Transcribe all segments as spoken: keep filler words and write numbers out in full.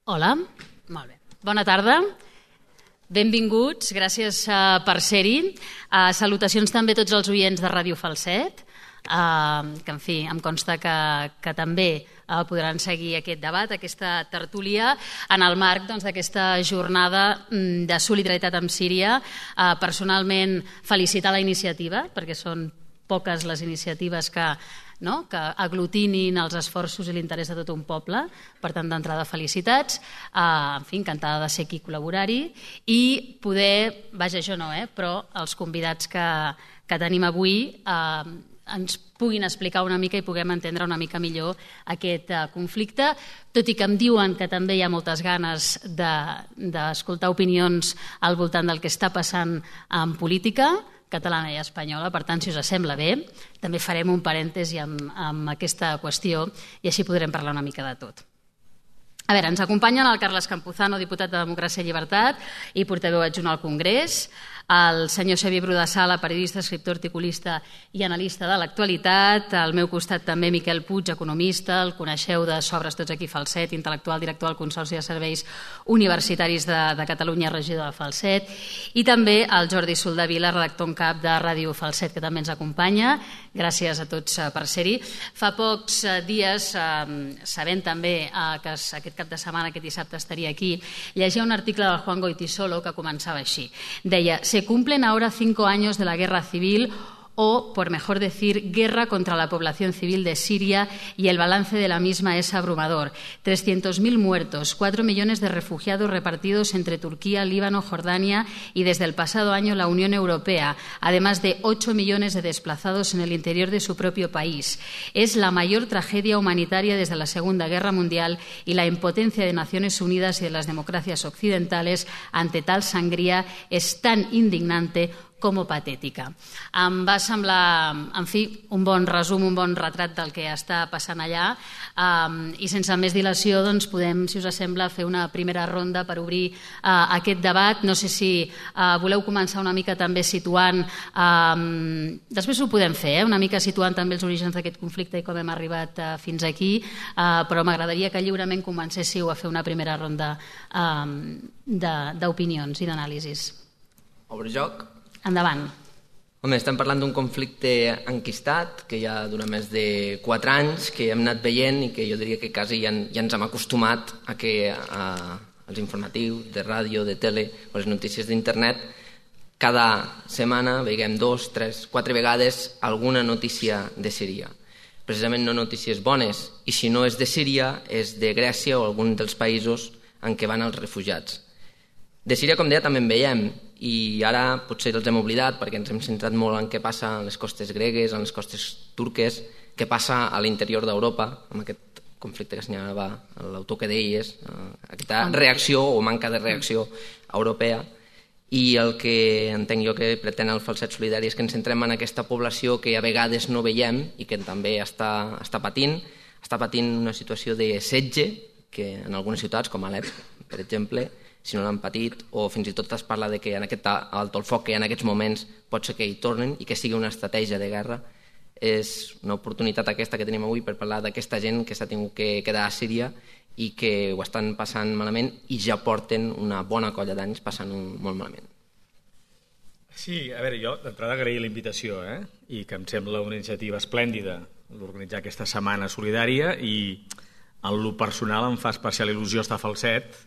Hola, molt bé. Bona tarda. Benvinguts, gràcies uh, per ser-hi. Uh, salutacions també a tots els oients de Ràdio Falset, uh, que en fi, em consta que, que també uh, podran seguir aquest debat, aquesta tertúlia, en el marc doncs, d'aquesta jornada de solidaritat amb Síria. Uh, personalment, felicitar la iniciativa, perquè són poques les iniciatives que No? que aglutinin els esforços i l'interès de tot un poble. Per tant, d'entrada, felicitats. Uh, en fi, encantada de ser aquí, col·laborar-hi i poder, vaja, jo no, eh, però els convidats que, que tenim avui uh, ens puguin explicar una mica i puguem entendre una mica millor aquest uh, conflicte, tot i que em diuen que també hi ha moltes ganes d'escoltar de, opinions al voltant del que està passant en política catalana i espanyola. Per tant, si us sembla bé, també farem un parèntesi amb, amb aquesta qüestió i així podrem parlar una mica de tot. A veure, ens acompanyen el Carles Campuzano, diputat de Democràcia i Llibertat i portaveu adjunt al Congrés, el senyor Xavier Brudasala, periodista, escriptor, articulista i analista de l'actualitat, al meu costat també Miquel Puig, economista, el coneixeu de sobres tots aquí Falset, intel·lectual, director del Consorci de Serveis Universitaris de, de Catalunya, regidor de Falset, i també el Jordi Soldevila, redactor en cap de Ràdio Falset, que també ens acompanya. Gràcies a tots per ser-hi. Fa pocs dies, sabent també que aquest cap de setmana, aquest dissabte, estaria aquí, llegia un article del Juan Goytisolo que començava així. Deia: se cumplen ahora cinco años de la guerra civil o, por mejor decir, guerra contra la población civil de Siria y el balance de la misma es abrumador. trescientos mil muertos, cuatro millones de refugiados repartidos entre Turquía, Líbano, Jordania y desde el pasado año la Unión Europea, además de ocho millones de desplazados en el interior de su propio país. Es la mayor tragedia humanitaria desde la Segunda Guerra Mundial y la impotencia de Naciones Unidas y de las democracias occidentales ante tal sangría es tan indignante com patètica. Em va semblar, en fi, un bon resum, un bon retrat del que està passant allà, um, i sense més dilació doncs, podem, si us sembla, fer una primera ronda per obrir uh, aquest debat. No sé si uh, voleu començar una mica també situant, um, després ho podem fer, eh? una mica situant també els orígens d'aquest conflicte i com hem arribat uh, fins aquí, uh, però m'agradaria que lliurement comencéssiu a fer una primera ronda um, d'opinions i d'anàlisis. Obre joc. Endavant. Home, estem parlant d'un conflicte enquistat que ja dura més de quatre anys, que hem anat veient i que jo diria que quasi ja, ja ens hem acostumat a que a, als informatius de ràdio, de tele o les notícies d'internet cada setmana veiem dos, tres, quatre vegades alguna notícia de Síria. Precisament no notícies bones, i si no és de Síria és de Grècia o algun dels països en què van els refugiats. De Síria, com deia, també en veiem, i ara potser els hem oblidat perquè ens hem centrat molt en què passa a les costes gregues, en les costes turques, què passa a l'interior d'Europa, amb aquest conflicte que assenyalava l'autor que deies, aquesta reacció o manca de reacció europea. I el que entenc jo que pretén el Falset Solidari és que ens centrem en aquesta població que a vegades no veiem i que també està, està patint, està patint una situació de setge, que en algunes ciutats, com Alep, per exemple, si no l'han patit, o fins i tot es parla de que en aquest alto el foc que hi ha en aquests moments pot ser que hi tornen i que sigui una estratègia de guerra. És una oportunitat aquesta que tenim avui per parlar d'aquesta gent que s'ha tingut que quedar a Síria i que ho estan passant malament i ja porten una bona colla d'anys passant-ho molt malament. Sí, a veure, jo d'entrada agrair la invitació, eh? I que em sembla una iniciativa esplèndida d'organitzar aquesta setmana solidària, i en lo personal em fa especial il·lusió estar a Falset.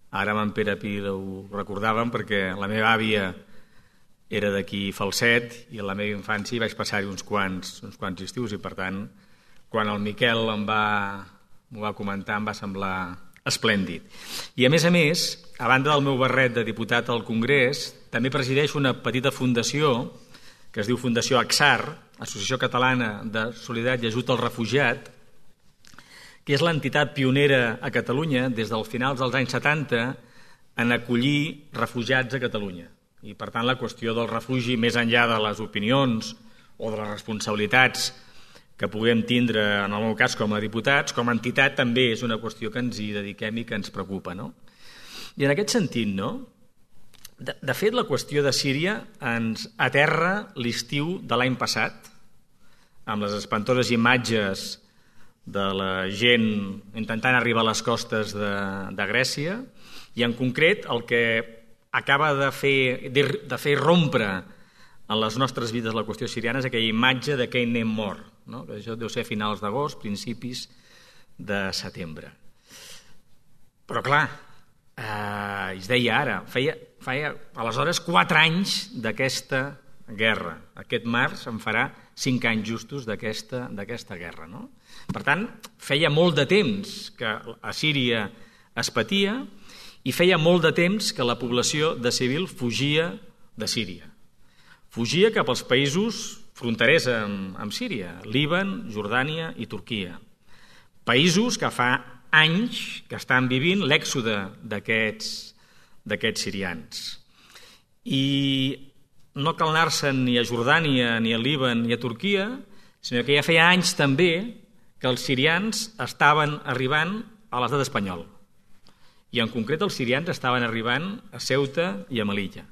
Ara amb en Pere Pi ho recordàvem perquè la meva àvia era d'aquí Falset i a la meva infància hi vaig passar-hi uns quants, uns quants estius, i per tant quan el Miquel em va, m'ho va comentar em va semblar esplèndid. I a més a més, a banda del meu barret de diputat al Congrés, també presideix una petita fundació que es diu Fundació AXAR, Associació Catalana de Solidaritat i Ajut al Refugiat, que és l'entitat pionera a Catalunya des dels finals dels anys setanta en acollir refugiats a Catalunya. I, per tant, la qüestió del refugi, més enllà de les opinions o de les responsabilitats que puguem tindre, en el meu cas, com a diputats, com a entitat, també és una qüestió que ens hi dediquem i que ens preocupa, no? I en aquest sentit, no? De, de fet, la qüestió de Síria ens aterra l'estiu de l'any passat, amb les espantoses imatges de la gent intentant arribar a les costes de, de Grècia, i en concret el que acaba de fer, de fer rompre en les nostres vides la qüestió siriana és aquella imatge d'aquell nen mort, no? Que això deu ser a finals d'agost, principis de setembre. Però clar, eh, es deia ara, feia, feia aleshores quatre anys d'aquesta guerra. Aquest març en farà cinc anys justos d'aquesta d'aquesta guerra, no? Per tant, feia molt de temps que a Síria es patia i feia molt de temps que la població de civil fugia de Síria. Fugia cap als països fronterers amb, amb Síria, Líban, Jordània i Turquia. Països que fa anys que estan vivint l'èxode d'aquests d'aquests sirians. I no cal anar-se'n ni a Jordània, ni a Líban, ni a Turquia, sinó que ja feia anys també que els sirians estaven arribant a l'estat espanyol. I en concret els sirians estaven arribant a Ceuta i a Melilla.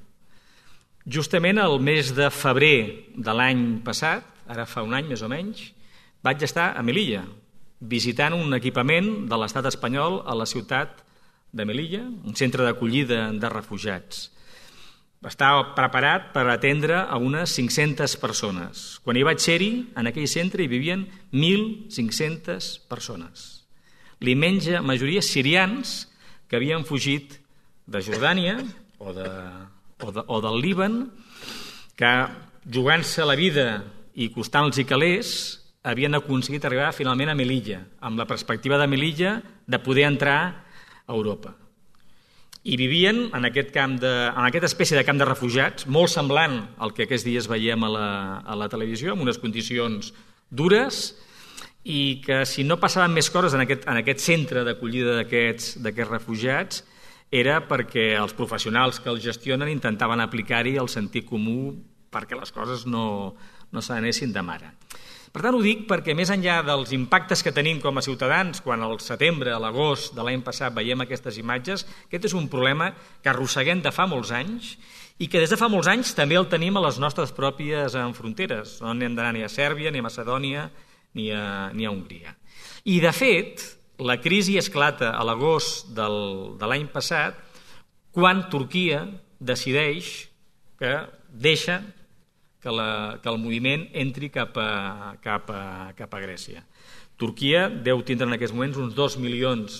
Justament el mes de febrer de l'any passat, ara fa un any més o menys, vaig estar a Melilla, visitant un equipament de l'estat espanyol a la ciutat de Melilla, un centre d'acollida de refugiats. Estava preparat per atendre a unes cinc-centes persones. Quan hi vaig ser-hi, en aquell centre hi vivien mil cinc-centes persones. L'immensa majoria sirians que havien fugit de Jordània o, de, o, de, o del Líban, que jugant-se la vida i costant-los i calés, havien aconseguit arribar finalment a Melilla, amb la perspectiva de Melilla de poder entrar a Europa. I vivien en aquest camp de, en aquesta espècie de camp de refugiats, molt semblant al que aquests dies veiem a la, a la televisió, amb unes condicions dures, i que si no passaven més coses en aquest, en aquest centre d'acollida d'aquests d'aquests refugiats era perquè els professionals que els gestionen intentaven aplicar-hi el sentit comú perquè les coses no, no se n'anessin de mare. Per tant, ho dic perquè més enllà dels impactes que tenim com a ciutadans quan al setembre, a l'agost de l'any passat veiem aquestes imatges, aquest és un problema que arrosseguem de fa molts anys i que des de fa molts anys també el tenim a les nostres pròpies fronteres. No hem d'anar ni a Sèrbia, ni a Macedònia, ni a, ni a Hongria. I, de fet, la crisi esclata a l'agost del, de l'any passat quan Turquia decideix que deixa que, la, que el moviment entri cap a, cap, a, cap a Grècia. Turquia deu tindre en aquests moments uns dos milions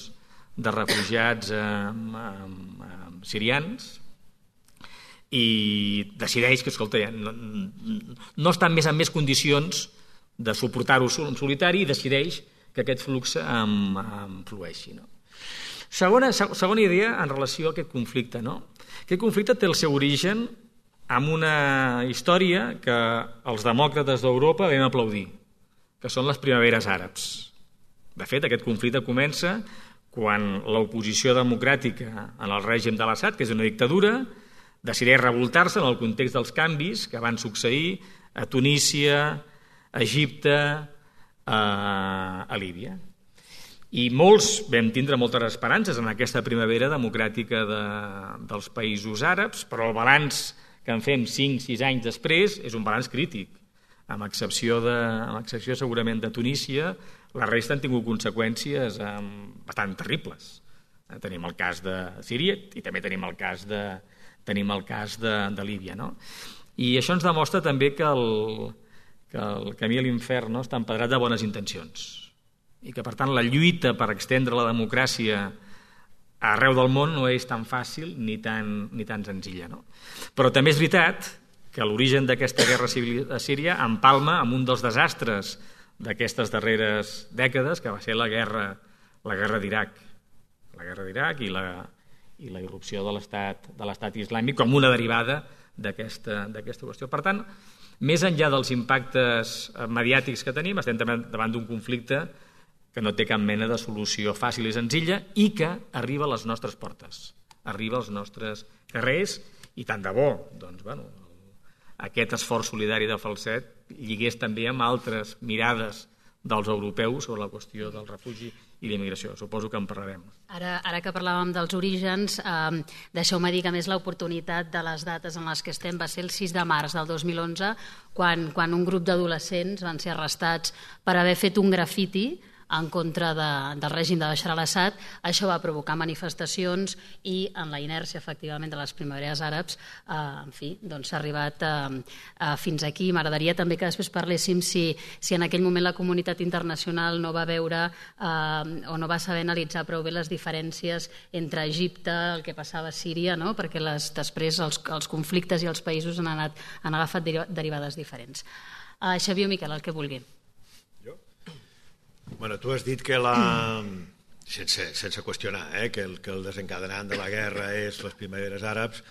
de refugiats eh, eh, sirians i decideix que, escolta, no, no estan més en més condicions de suportar-ho en solitari i decideix que aquest flux em, em flueixi. No? Segona, segona idea en relació a aquest conflicte. No? Aquest conflicte té el seu origen amb una història que els demòcrates d'Europa vam aplaudir, que són les primaveres àrabs. De fet, aquest conflicte comença quan l'oposició democràtica en el règim de l'Assad, que és una dictadura, decideix revoltar-se en el context dels canvis que van succeir a Tunísia, a Egipte, a, a Líbia. I molts vam tindre moltes esperances en aquesta primavera democràtica de, dels països àrabs, però el balanç que en fem cinc sis anys després és un balanç crític. Amb excepció, de, amb excepció segurament de Tunísia, la resta han tingut conseqüències eh, bastant terribles. Eh, tenim el cas de Síria i també tenim el cas de, tenim el cas de, de Líbia. No? I això ens demostra també que el, que el camí a l'infern no, està empedrat de bones intencions i que, per tant, la lluita per extendre la democràcia arreu del món no és tan fàcil ni tan, ni tan senzilla. No? Però també és veritat que l'origen d'aquesta guerra civil a Síria empalma amb un dels desastres d'aquestes darreres dècades, que va ser la guerra, la guerra d'Iraq. La guerra d'Iraq i la, i la irrupció de l'estat de l'estat islàmic com una derivada d'aquesta d'aquesta qüestió. Per tant, més enllà dels impactes mediàtics que tenim, estem davant d'un conflicte que no té cap mena de solució fàcil i senzilla i que arriba a les nostres portes, arriba als nostres carrers i tant de bo, doncs, bueno, aquest esforç solidari de Falset lligués també amb altres mirades dels europeus sobre la qüestió del refugi i l'immigració. Suposo que en parlarem. Ara, ara que parlàvem dels orígens, eh, deixeu-me dir que a més l'oportunitat de les dates en les que estem va ser el sis de març del dos mil onze, quan, quan un grup d'adolescents van ser arrestats per haver fet un grafiti en contra de, del règim de Bashar al-Assad. Això va provocar manifestacions i en la inèrcia, efectivament, de les primaveres àrabs, eh, en fi, doncs s'ha arribat eh, eh, fins aquí. M'agradaria també que després parléssim si, si en aquell moment la comunitat internacional no va veure eh, o no va saber analitzar prou bé les diferències entre Egipte, el que passava a Síria, no? Perquè les, després els, els conflictes i els països han, anat, han agafat derivades diferents. Uh, Xavier o Miquel, el que vulgui. Jo? Bueno, tu has dit que la... sense, sense qüestionar, eh, que, el, que el desencadenant de la guerra és les primaveres àrabs.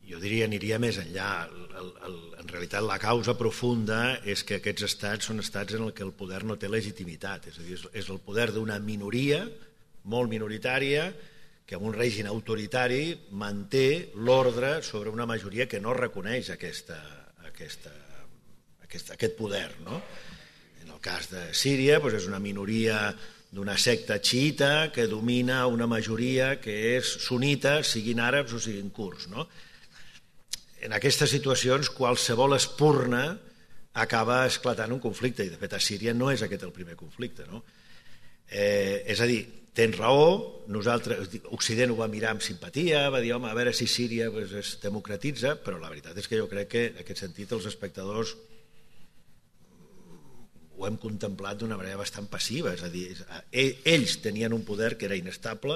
Jo diria, aniria més enllà. El, el, en realitat, la causa profunda és que aquests estats són estats en què el poder no té legitimitat. És a dir, és el poder d'una minoria, molt minoritària, que en un règim autoritari manté l'ordre sobre una majoria que no reconeix aquesta, aquesta Aquest, aquest poder, no? En el cas de Síria, doncs és una minoria d'una secta xiita que domina una majoria que és sunita, siguin àrabs o siguin kurds, no? En aquestes situacions, qualsevol espurna acaba esclatant un conflicte, i de fet a Síria no és aquest el primer conflicte, no? Eh, és a dir, tens raó, nosaltres, Occident ho va mirar amb simpatia, va dir, home, a veure si Síria pues, es democratitza, però la veritat és que jo crec que en aquest sentit els espectadors ho hem contemplat d'una manera bastant passiva, és a dir, ells tenien un poder que era inestable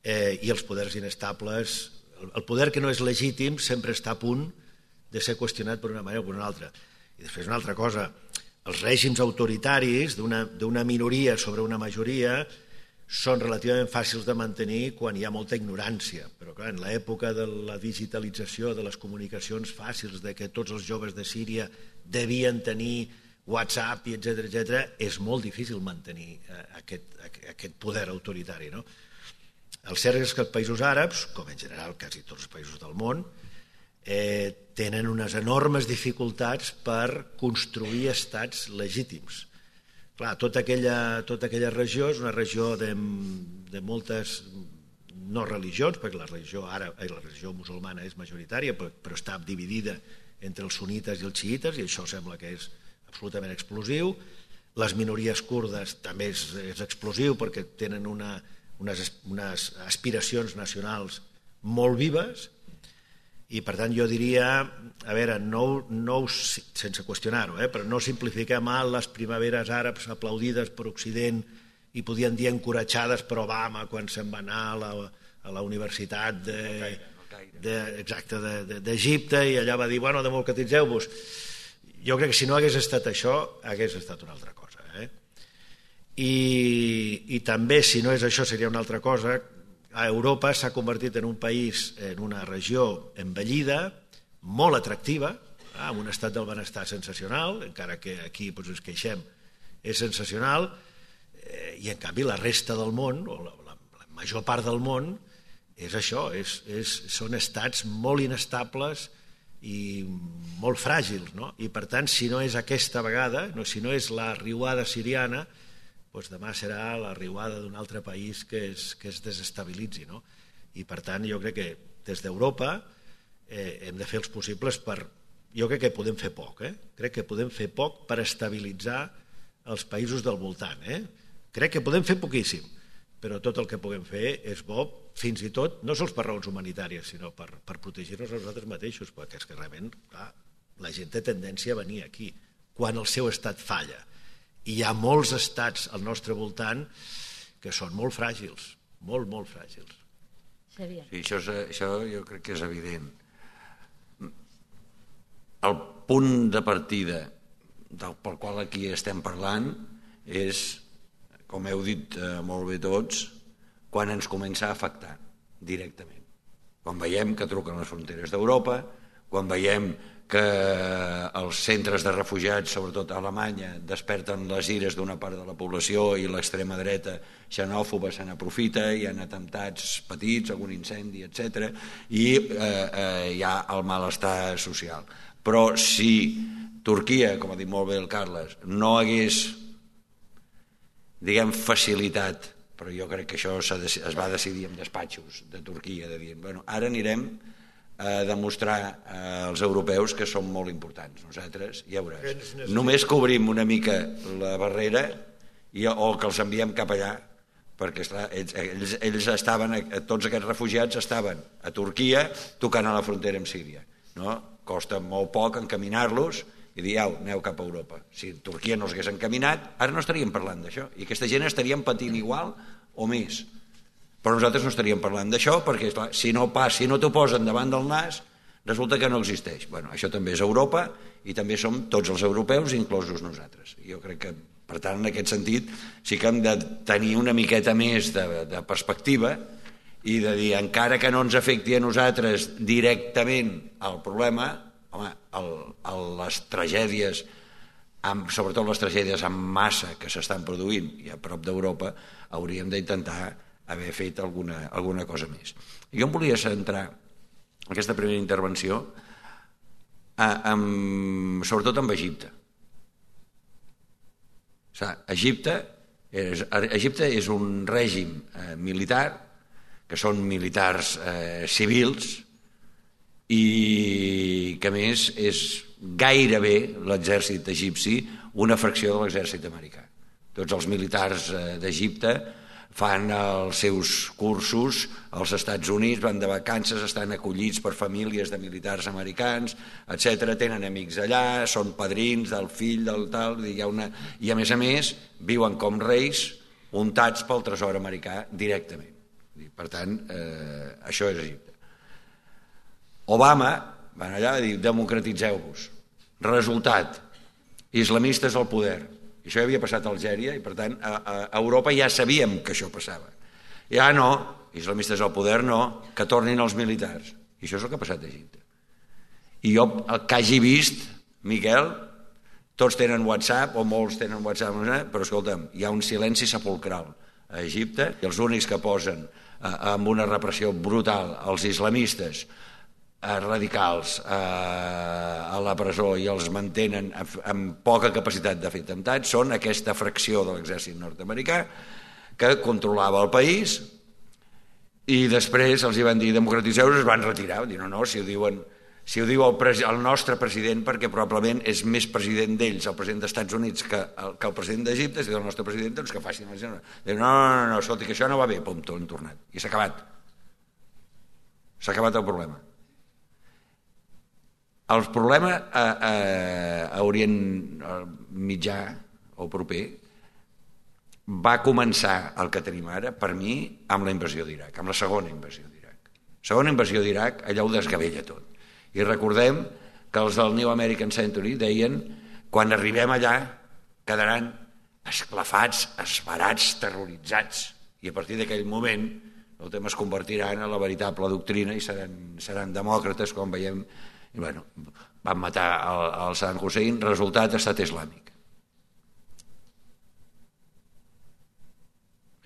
eh, i els poders inestables, el poder que no és legítim sempre està a punt de ser qüestionat per una manera o per una altra. I després una altra cosa, els règims autoritaris d'una minoria sobre una majoria són relativament fàcils de mantenir quan hi ha molta ignorància, però clar, en l'època de la digitalització de les comunicacions fàcils, de que tots els joves de Síria devien tenir WhatsApp, etcètera, etcètera, és molt difícil mantenir aquest, aquest poder autoritari, no? El cert és que els països àrabs, com en general quasi tots els països del món, eh, tenen unes enormes dificultats per construir estats legítims. Clar, tota aquella, tota aquella regió és una regió de, de moltes no religions, perquè la religió àrab, la religió musulmana és majoritària, però, però està dividida entre els sunites i els xiites, i això sembla que és absolutament explosiu. Les minories kurdes també és, és explosiu perquè tenen una, unes, unes aspiracions nacionals molt vives i per tant jo diria, a veure, no, no, sense qüestionar-ho, eh, però no simplifiquem mal les primaveres àrabs aplaudides per Occident i podien dir encoratjades per Obama quan se'n va anar a la, a la Universitat de, de, exacte, d'Egipte i allà va dir, bueno, democratitzeu-vos. Jo crec que si no hagués estat això, hagués estat una altra cosa. Eh? I, I també, si no és això, seria una altra cosa. A Europa s'ha convertit en un país, en una regió envellida, molt atractiva, eh, amb un estat del benestar sensacional, encara que aquí doncs, ens queixem, és sensacional, eh, i en canvi la resta del món, o la, la, la major part del món, és això, és, és, són estats molt inestables i molt fràgils, no? I per tant, si no és aquesta vegada, no, si no és la riuada siriana, doncs demà serà la riuada d'un altre país que es, que es desestabilitzi, no? I per tant, jo crec que des d'Europa eh, hem de fer els possibles per... Jo crec que podem fer poc, eh? Crec que podem fer poc per estabilitzar els països del voltant, eh? Crec que podem fer poquíssim, però tot el que puguem fer és bo, fins i tot, no sols per raons humanitàries, sinó per, per protegir-nos a nosaltres mateixos, perquè és que realment clar, la gent té tendència a venir aquí quan el seu estat falla. I hi ha molts estats al nostre voltant que són molt fràgils, molt, molt fràgils. Sí, això, és, això jo crec que és evident. El punt de partida del, pel qual aquí estem parlant és, com heu dit eh, molt bé tots, quan ens comença a afectar directament. Quan veiem que truquen les fronteres d'Europa, quan veiem que els centres de refugiats, sobretot a Alemanya, desperten les ires d'una part de la població i l'extrema dreta xenòfoba se n'aprofita, hi ha atemptats petits, algun incendi, etcètera, i eh, eh, hi ha el malestar social. Però si Turquia, com ha dit molt bé el Carles, no hagués, diguem, facilitat, però jo crec que això es va decidir en despatxos de Turquia, de dir, bueno, ara anirem a demostrar als europeus que som molt importants. Nosaltres, ja veuràs, només cobrim una mica la barrera i, o que els enviem cap allà, perquè esclar, ells, ells estaven, tots aquests refugiats estaven a Turquia tocant a la frontera amb Síria. No? Costa molt poc encaminar-los i dir, au, aneu cap a Europa. Si Turquia no s'hagués encaminat, ara no estaríem parlant d'això. I aquesta gent estaríem patint igual o més. Però nosaltres no estaríem parlant d'això perquè, clar, si no pas, si no t'ho posen davant del nas, resulta que no existeix. Bueno, això també és Europa i també som tots els europeus, inclosos nosaltres. Jo crec que, per tant, en aquest sentit, sí que hem de tenir una miqueta més de, de perspectiva i de dir, encara que no ens afecti a nosaltres directament el problema, home, el, el, les tragèdies, amb, sobretot les tragèdies en massa que s'estan produint i a prop d'Europa, hauríem d'intentar haver fet alguna, alguna cosa més. Jo em volia centrar aquesta primera intervenció a, amb, sobretot amb Egipte. O sigui, Egipte, és, Egipte és un règim eh, militar, que són militars eh, civils, i que a més és gairebé l'exèrcit egipci una fracció de l'exèrcit americà. Tots els militars d'Egipte fan els seus cursos als Estats Units, van de vacances, estan acollits per famílies de militars americans, etcètera. Tenen amics allà, són padrins del fill, del tal, i, hi ha una... i a més a més viuen com reis untats pel tresor americà directament. Per tant, eh, això és Egipte. Obama van allà i diu, democratitzeu-vos. Resultat, islamistes al poder. I això ja havia passat a Algèria i, per tant, a, a Europa ja sabíem que això passava. Ja no, islamistes al poder no, que tornin els militars. I això és el que ha passat a Egipte. I jo, el que hagi vist, Miquel, tots tenen WhatsApp, o molts tenen WhatsApp, però escolta'm, hi ha un silenci sepulcral a Egipte, i els únics que posen eh, amb una repressió brutal als islamistes radicals eh, a la presó i els mantenen amb poca capacitat de fer atemptats són aquesta fracció de l'exèrcit nord-americà que controlava el país i després els hi van dir democratitzeu-vos, es van retirar, van dir no, no, si ho diuen si ho diu el, el nostre president, perquè probablement és més president d'ells, el president dels Estats Units que el, que el president d'Egipte, si diu el nostre president, doncs que facin la gent. Diu, no, no, no, no, escolti, que això no va bé, pum, tot han tornat. I s'ha acabat. S'ha acabat el problema. El problema a, a, a Orient Mitjà o proper va començar el que tenim ara, per mi, amb la invasió d'Iraq, amb la segona invasió d'Iraq. Segona invasió d'Iraq, allà ho desgavella tot. I recordem que els del New American Century deien quan arribem allà quedaran esclafats, esbarats, terroritzats. I a partir d'aquell moment el tema es convertirà en la veritable doctrina i seran, seran demòcrates, com veiem. I bueno, van matar el, el Saddam Hussein, resultat, estat islàmic.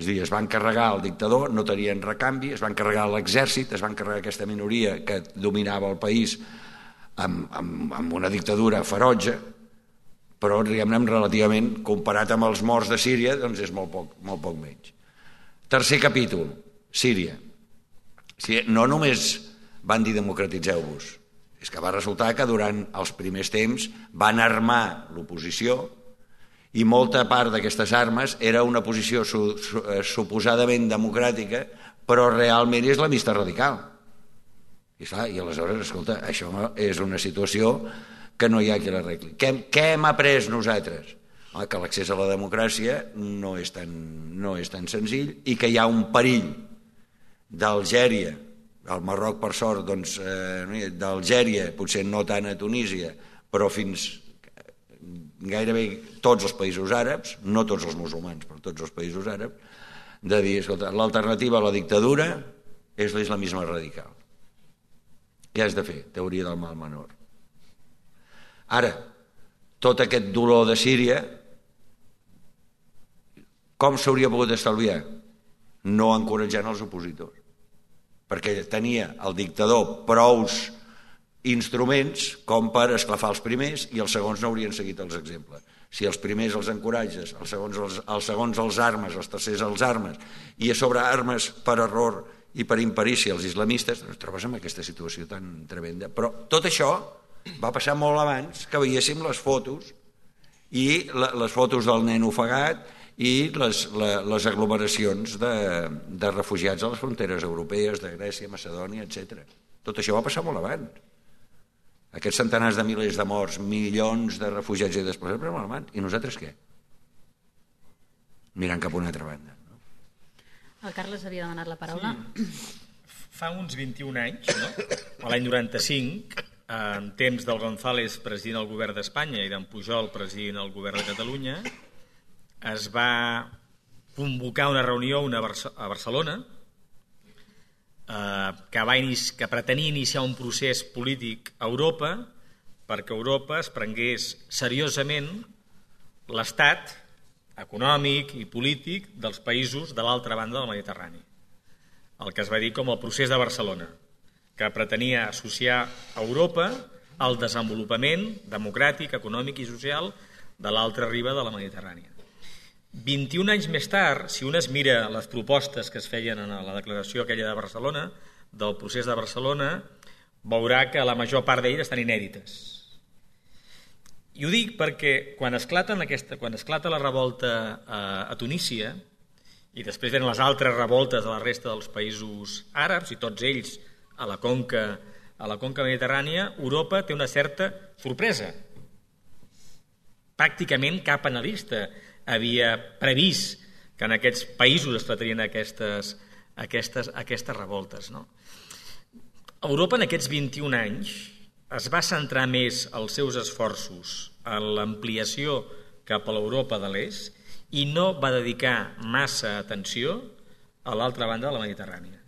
És a dir, es van carregar el dictador, no tenien recanvi, es van carregar l'exèrcit, es van carregar aquesta minoria que dominava el país amb, amb, amb una dictadura ferotge, però diguem-ne relativament, comparat amb els morts de Síria, doncs és molt poc, molt poc menys. Tercer capítol, Síria. No només van dir democratitzeu-vos, és que va resultar que durant els primers temps van armar l'oposició i molta part d'aquestes armes era una posició su, su, suposadament democràtica, però realment és la vista radical. I, clar, i aleshores, escolta, això és una situació que no hi ha qui l'arregli. Què, què hem après nosaltres? Home, que l'accés a la democràcia no és, tan, no és tan senzill i que hi ha un perill d'Algèria, al Marroc, per sort, doncs, eh, d'Algèria, potser no tant a Tunísia, però fins gairebé tots els països àrabs, no tots els musulmans, però tots els països àrabs, de dir, escolta, l'alternativa a la dictadura és l'islamisme radical. Què has de fer? Teoria del mal menor. Ara, tot aquest dolor de Síria, com s'hauria pogut estalviar? No encoratjant els opositors. Perquè tenia el dictador prous instruments com per esclafar els primers i els segons no haurien seguit els exemples. Si els primers els encoratges, els segons els, els segons els armes, els tercers els armes, i a sobre armes per error i per imperícia els islamistes, doncs trobes en aquesta situació tan tremenda. Però tot això va passar molt abans que veiéssim les fotos i les fotos del nen ofegat i les, la, les aglomeracions de, de refugiats a les fronteres europees, de Grècia, Macedònia, etcètera. Tot això va passar molt abans. Aquests centenars de milers de morts, milions de refugiats i desplaçats, però molt abans. I nosaltres què? Mirant cap a una altra banda. No? El Carles havia demanat la paraula. Sí. Fa uns vint-i-un anys, no? A l'any noranta-cinc, en temps del González presidint el govern d'Espanya i d'en Pujol presidint el govern de Catalunya, es va convocar una reunió una a Barcelona eh, que, va inici, que pretenia iniciar un procés polític a Europa perquè Europa es prengués seriosament l'estat econòmic i polític dels països de l'altra banda del Mediterrani. El que es va dir com el procés de Barcelona, que pretenia associar Europa al desenvolupament democràtic, econòmic i social de l'altra riba de la Mediterrània. vint-i-un anys més tard, si un es mira les propostes que es feien en la declaració aquella de Barcelona, del procés de Barcelona, veurà que la major part d'elles estan inèdites. I ho dic perquè quan, aquesta, quan esclata la revolta a, a Tunísia, i després venen les altres revoltes de la resta dels països àrabs, i tots ells a la conca, a la conca mediterrània, Europa té una certa sorpresa. Pràcticament cap analista havia previst que en aquests països es tratarien aquestes, aquestes, aquestes revoltes. No? Europa en aquests vint-i-un anys es va centrar més els seus esforços en l'ampliació cap a l'Europa de l'Est i no va dedicar massa atenció a l'altra banda de la Mediterrània.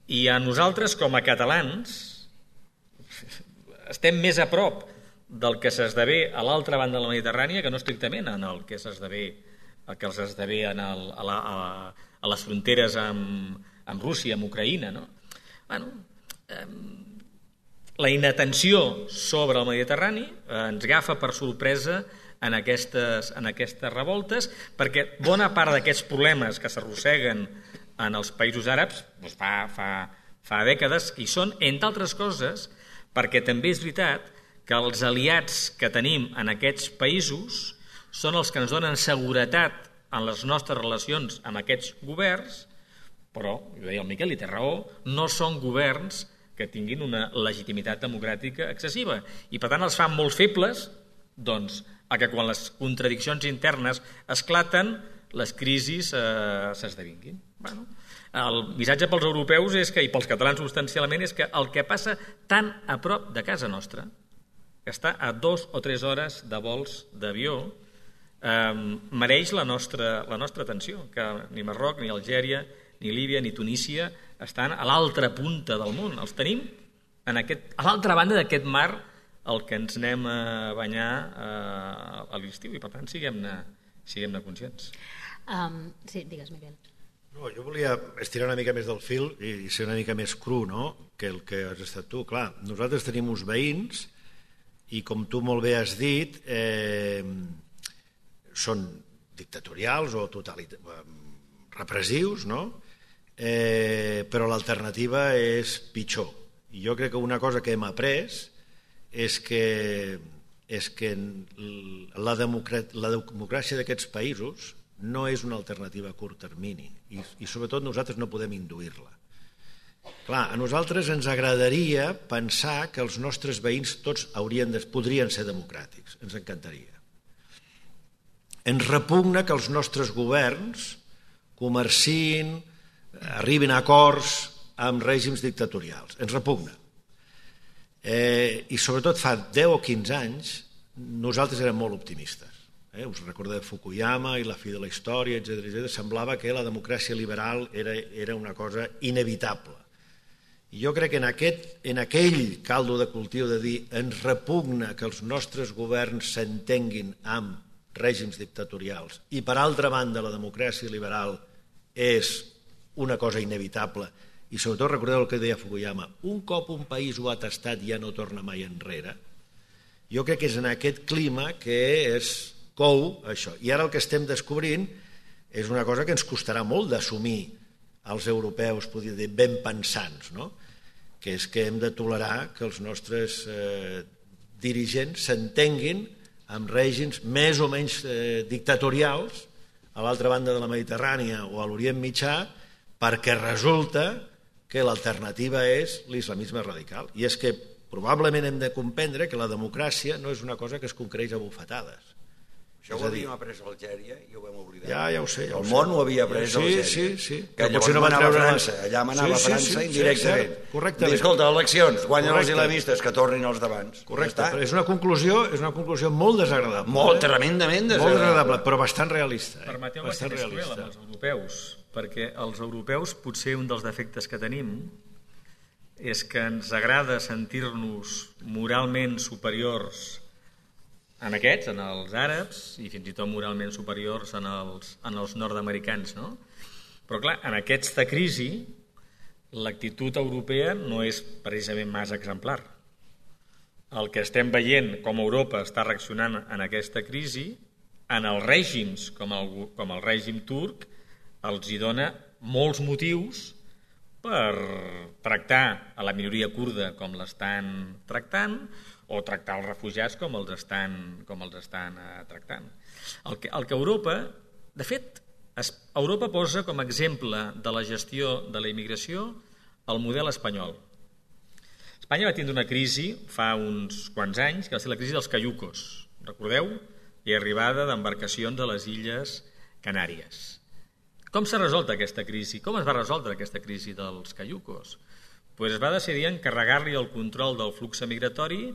I a nosaltres, com a catalans, estem més a prop del que s'esdevé a l'altra banda de la Mediterrània que no estrictament en el que s'esdevé el que s'esdevé en el, a, la, a, a les fronteres amb, amb Rússia, amb Ucraïna. No? Bueno, eh, la inatenció sobre el Mediterrani eh, ens agafa per sorpresa en aquestes, en aquestes revoltes, perquè bona part d'aquests problemes que s'arrosseguen en els països àrabs doncs fa, fa, fa dècades i són, entre altres coses, perquè també és veritat que els aliats que tenim en aquests països són els que ens donen seguretat en les nostres relacions amb aquests governs, però, ho deia el Miquel, i té raó, no són governs que tinguin una legitimitat democràtica excessiva. I per tant els fan molt febles doncs, a que quan les contradiccions internes esclaten, les crisis eh, s'esdevinguin. Bueno, el missatge pels europeus és que, i pels catalans substancialment és que el que passa tan a prop de casa nostra, que està a dos o tres hores de vols d'avió, eh, mereix la nostra, la nostra atenció, que ni Marroc, ni Algèria, ni Líbia, ni Tunísia estan a l'altra punta del món. Els tenim en aquest, a l'altra banda d'aquest mar el que ens anem a banyar eh, a l'estiu, i per tant siguem-ne siguem-ne conscients. Um, sí, digues, Miquel. No, jo volia estirar una mica més del fil i ser una mica més cru, no?, que el que has estat tu. Clar, nosaltres tenim uns veïns i, com tu molt bé has dit, eh, són dictatorials o totalit... repressius, no?, eh, però l'alternativa és pitjor. I jo crec que una cosa que hem après és que, és que la, democràcia, la democràcia d'aquests països no és una alternativa a curt termini i, i sobretot nosaltres no podem induir-la. Clar, a nosaltres ens agradaria pensar que els nostres veïns tots haurien de, podrien ser democràtics, ens encantaria. Ens repugna que els nostres governs comerciïn, arribin a acords amb règims dictatorials, ens repugna. Eh, I sobretot fa deu o quinze anys nosaltres érem molt optimistes. Eh? Us recordeu de Fukuyama i la fi de la història, etcètera, etcètera. Semblava que la democràcia liberal era, era una cosa inevitable. I jo crec que en, aquest, en aquell caldo de cultiu de dir ens repugna que els nostres governs s'entenguin amb règims dictatorials i, per altra banda, la democràcia liberal és una cosa inevitable. I sobretot recordeu el que deia Fukuyama, un cop un país ho ha tastat ja no torna mai enrere. Jo crec que és en aquest clima que és cou això. I ara el que estem descobrint és una cosa que ens costarà molt d'assumir als europeus, podria dir, ben pensants, no? Que és que hem de tolerar que els nostres eh, dirigents s'entenguin amb règims més o menys eh, dictatorials a l'altra banda de la Mediterrània o a l'Orient Mitjà, perquè resulta que l'alternativa és l'islamisme radical. I és que probablement hem de comprendre que la democràcia no és una cosa que es conquereix a bufetades. Això ho havíem après a Algèria i ho vam oblidar. Ja, ja ho sé. Ja el món ho havia après a Algèria. Sí, sí, sí. Que llavors no manava França, allà manava sí, sí, França sí, indirectament. Sí, correctament. I escolta, eleccions, guanyen els islamistes, que tornin els d'abans. Correcte, però és una conclusió, és una conclusió molt desagradable. Molt, eh? tremendament desagradable. Molt desagradable, però bastant realista. Eh? Permeteu-me ser més cruel amb els europeus, perquè els europeus potser un dels defectes que tenim és que ens agrada sentir-nos moralment superiors en aquests, en els àrabs, i fins i tot moralment superiors en els, en els nord-americans, no? Però clar, en aquesta crisi l'actitud europea no és precisament massa exemplar. El que estem veient com Europa està reaccionant en aquesta crisi, en els règims com el, com el règim turc, els hi dona molts motius per tractar a la minoria kurda com l'estan tractant o tractar els refugiats com els estan, com els estan eh, tractant. El que, el que Europa, de fet, es, Europa posa com a exemple de la gestió de la immigració el model espanyol. Espanya va tindre una crisi fa uns quants anys, que va ser la crisi dels caiucos. Recordeu? I arribada d'embarcacions a les Illes Canàries. Com s'ha resolt aquesta crisi? Com es va resoldre aquesta crisi dels caiucos? Pues es va decidir encarregar-li el control del flux migratori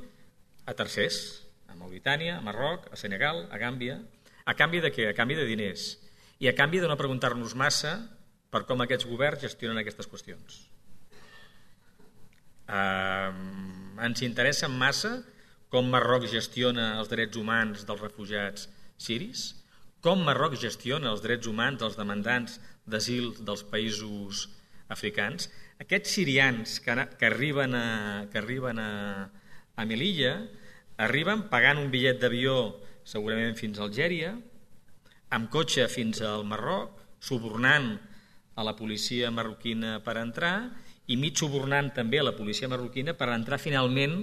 a tercers, a Mauritània, a Marroc, a Senegal, a Gàmbia. A canvi de què? A canvi de diners. I a canvi de no preguntar-nos massa per com aquests governs gestionen aquestes qüestions. Eh, ens interessa massa com Marroc gestiona els drets humans dels refugiats siris, com Marroc gestiona els drets humans dels demandants d'asil dels països africans. Aquests sirians que, que arriben a, que arriben a, a Melilla arriben pagant un bitllet d'avió segurament fins a Algèria, amb cotxe fins al Marroc, subornant a la policia marroquina per entrar i mig subornant també a la policia marroquina per entrar finalment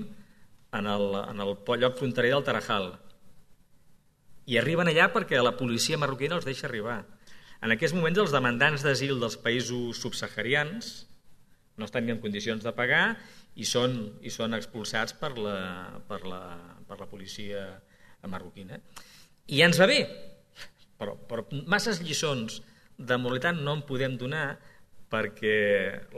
en el, en el lloc fronterer del Tarajal. I arriben allà perquè la policia marroquina els deixa arribar. En aquests moments els demandants d'asil dels països subsaharians no estan ni en condicions de pagar i són, i són expulsats per la, per la, per la policia marroquina. I ja ens va bé, però, però masses lliçons de moralitat no en podem donar perquè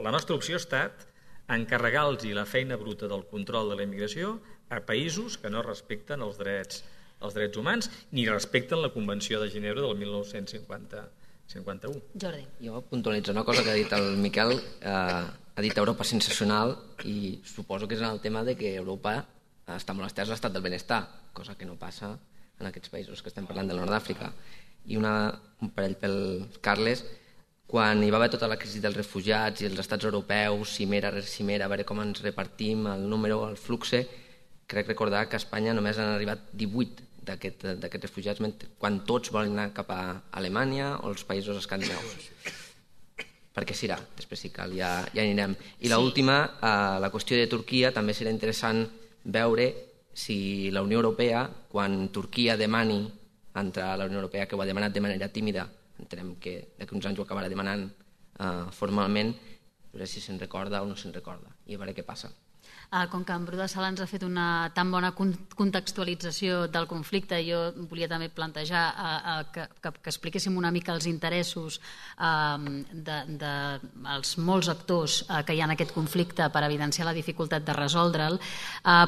la nostra opció ha estat encarregar-los la feina bruta del control de la immigració a països que no respecten els drets els drets humans, ni respecten la Convenció de Ginebra del mil nou-cents cinquanta-u. Jordi. Jo puntualitzo una cosa que ha dit el Miquel, eh, ha dit Europa sensacional i suposo que és en el tema de que Europa està molt estès a l'estat del benestar, cosa que no passa en aquests països que estem parlant del nord d'Àfrica. I una, un parell pel Carles, quan hi va haver tota la crisi dels refugiats i els estats europeus, cimera rere cimera, a veure com ens repartim el número, el flux, crec recordar que a Espanya només han arribat divuit d'aquests aquest refugiats, quan tots volen anar cap a Alemanya o els països escandinaus. Perquè serà, després si cal ja, ja anirem. I l'última, eh, la qüestió de Turquia, també serà interessant veure si la Unió Europea, quan Turquia demani entrar a la Unió Europea, que ho ha demanat de manera tímida, entenem que d'aquí uns anys ho acabarà demanant eh, formalment, a veure si se'n recorda o no se'n recorda, i a veure què passa. Com que en Bru de Sala ens ha fet una tan bona contextualització del conflicte, jo volia també plantejar que, que, que expliquéssim una mica els interessos dels de, de molts actors que hi ha en aquest conflicte per evidenciar la dificultat de resoldre'l,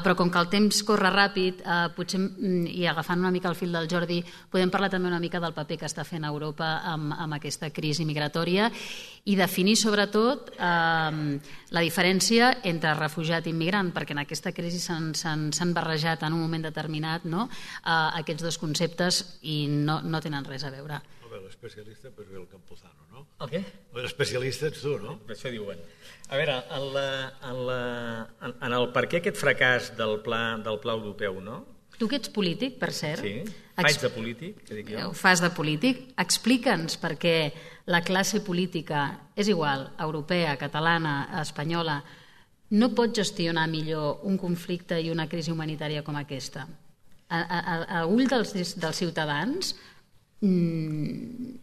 però com que el temps corre ràpid, potser, i agafant una mica el fil del Jordi, podem parlar també una mica del paper que està fent Europa amb, amb aquesta crisi migratòria i definir sobretot la diferència entre refugiat i immigrant, perquè en aquesta crisi s'han barrejat en un moment determinat, no? uh, aquests dos conceptes i no, no tenen res a veure. L'especialista pues ve el Campuzano, no? El què? L'especialista ets tu, no? Per això diuen. A veure, en, la, en, la, en, en el per què aquest fracàs del pla, del pla europeu, no? Tu que ets polític, per cert. Sí, faig de polític, que dic jo. Fas de polític. Explica'ns per què la classe política, és igual, europea, catalana, espanyola, no pot gestionar millor un conflicte i una crisi humanitària com aquesta. A, a, a ull dels, dels ciutadans, Mm,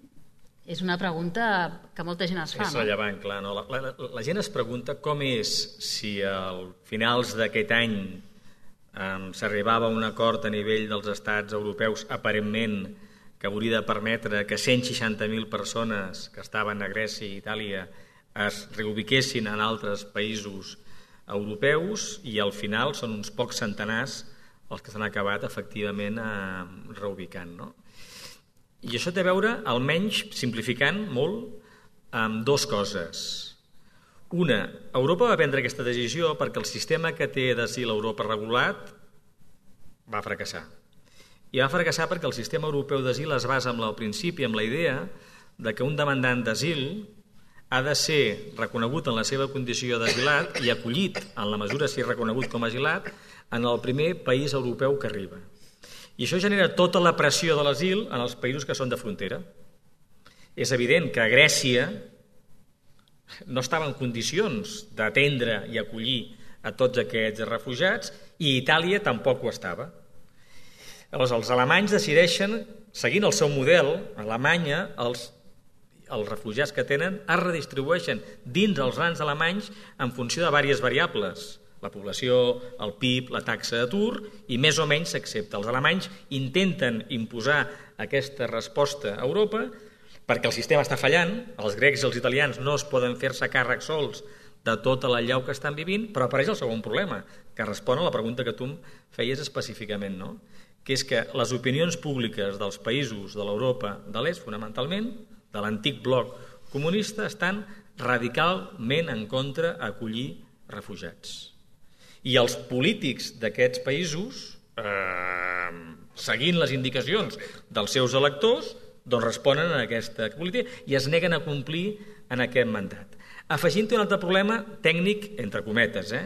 és una pregunta que molta gent es fa, és no? rellevant, clar. No? La, la, la gent es pregunta com és si al finals d'aquest any um, s'arribava a un acord a nivell dels estats europeus, aparentment, que hauria de permetre que cent seixanta mil persones que estaven a Grècia i Itàlia es reubiquessin en altres països europeus, i al final són uns pocs centenars els que s'han acabat efectivament eh, reubicant. No? I això té a veure, almenys simplificant molt, amb dues coses. Una, Europa va prendre aquesta decisió perquè el sistema que té d'asil a Europa regulat va fracassar. I va fracassar perquè el sistema europeu d'asil es basa en el principi, en la idea de que un demandant d'asil ha de ser reconegut en la seva condició d'asilat i acollit, en la mesura si és reconegut com a asilat, en el primer país europeu que arriba. I això genera tota la pressió de l'asil en els països que són de frontera. És evident que Grècia no estava en condicions d'atendre i acollir a tots aquests refugiats, i Itàlia tampoc ho estava. Llavors, els alemanys decideixen, seguint el seu model, a Alemanya, els, els refugiats que tenen es redistribueixen dins els grans alemanys en funció de diverses variables. La població, el P I B, la taxa d'atur, i més o menys s'accepta. Els alemanys intenten imposar aquesta resposta a Europa perquè el sistema està fallant, els grecs i els italians no es poden fer-se càrrec sols de tota la llau que estan vivint, però apareix el segon problema, que respon a la pregunta que tu em feies específicament, no? Que és que les opinions públiques dels països de l'Europa de l'Est, fonamentalment, de l'antic bloc comunista, estan radicalment en contra d'acollir refugiats. I els polítics d'aquests països, eh, seguint les indicacions dels seus electors, doncs responen a aquesta política i es neguen a complir en aquest mandat. Afegint-hi un altre problema tècnic, entre cometes, eh?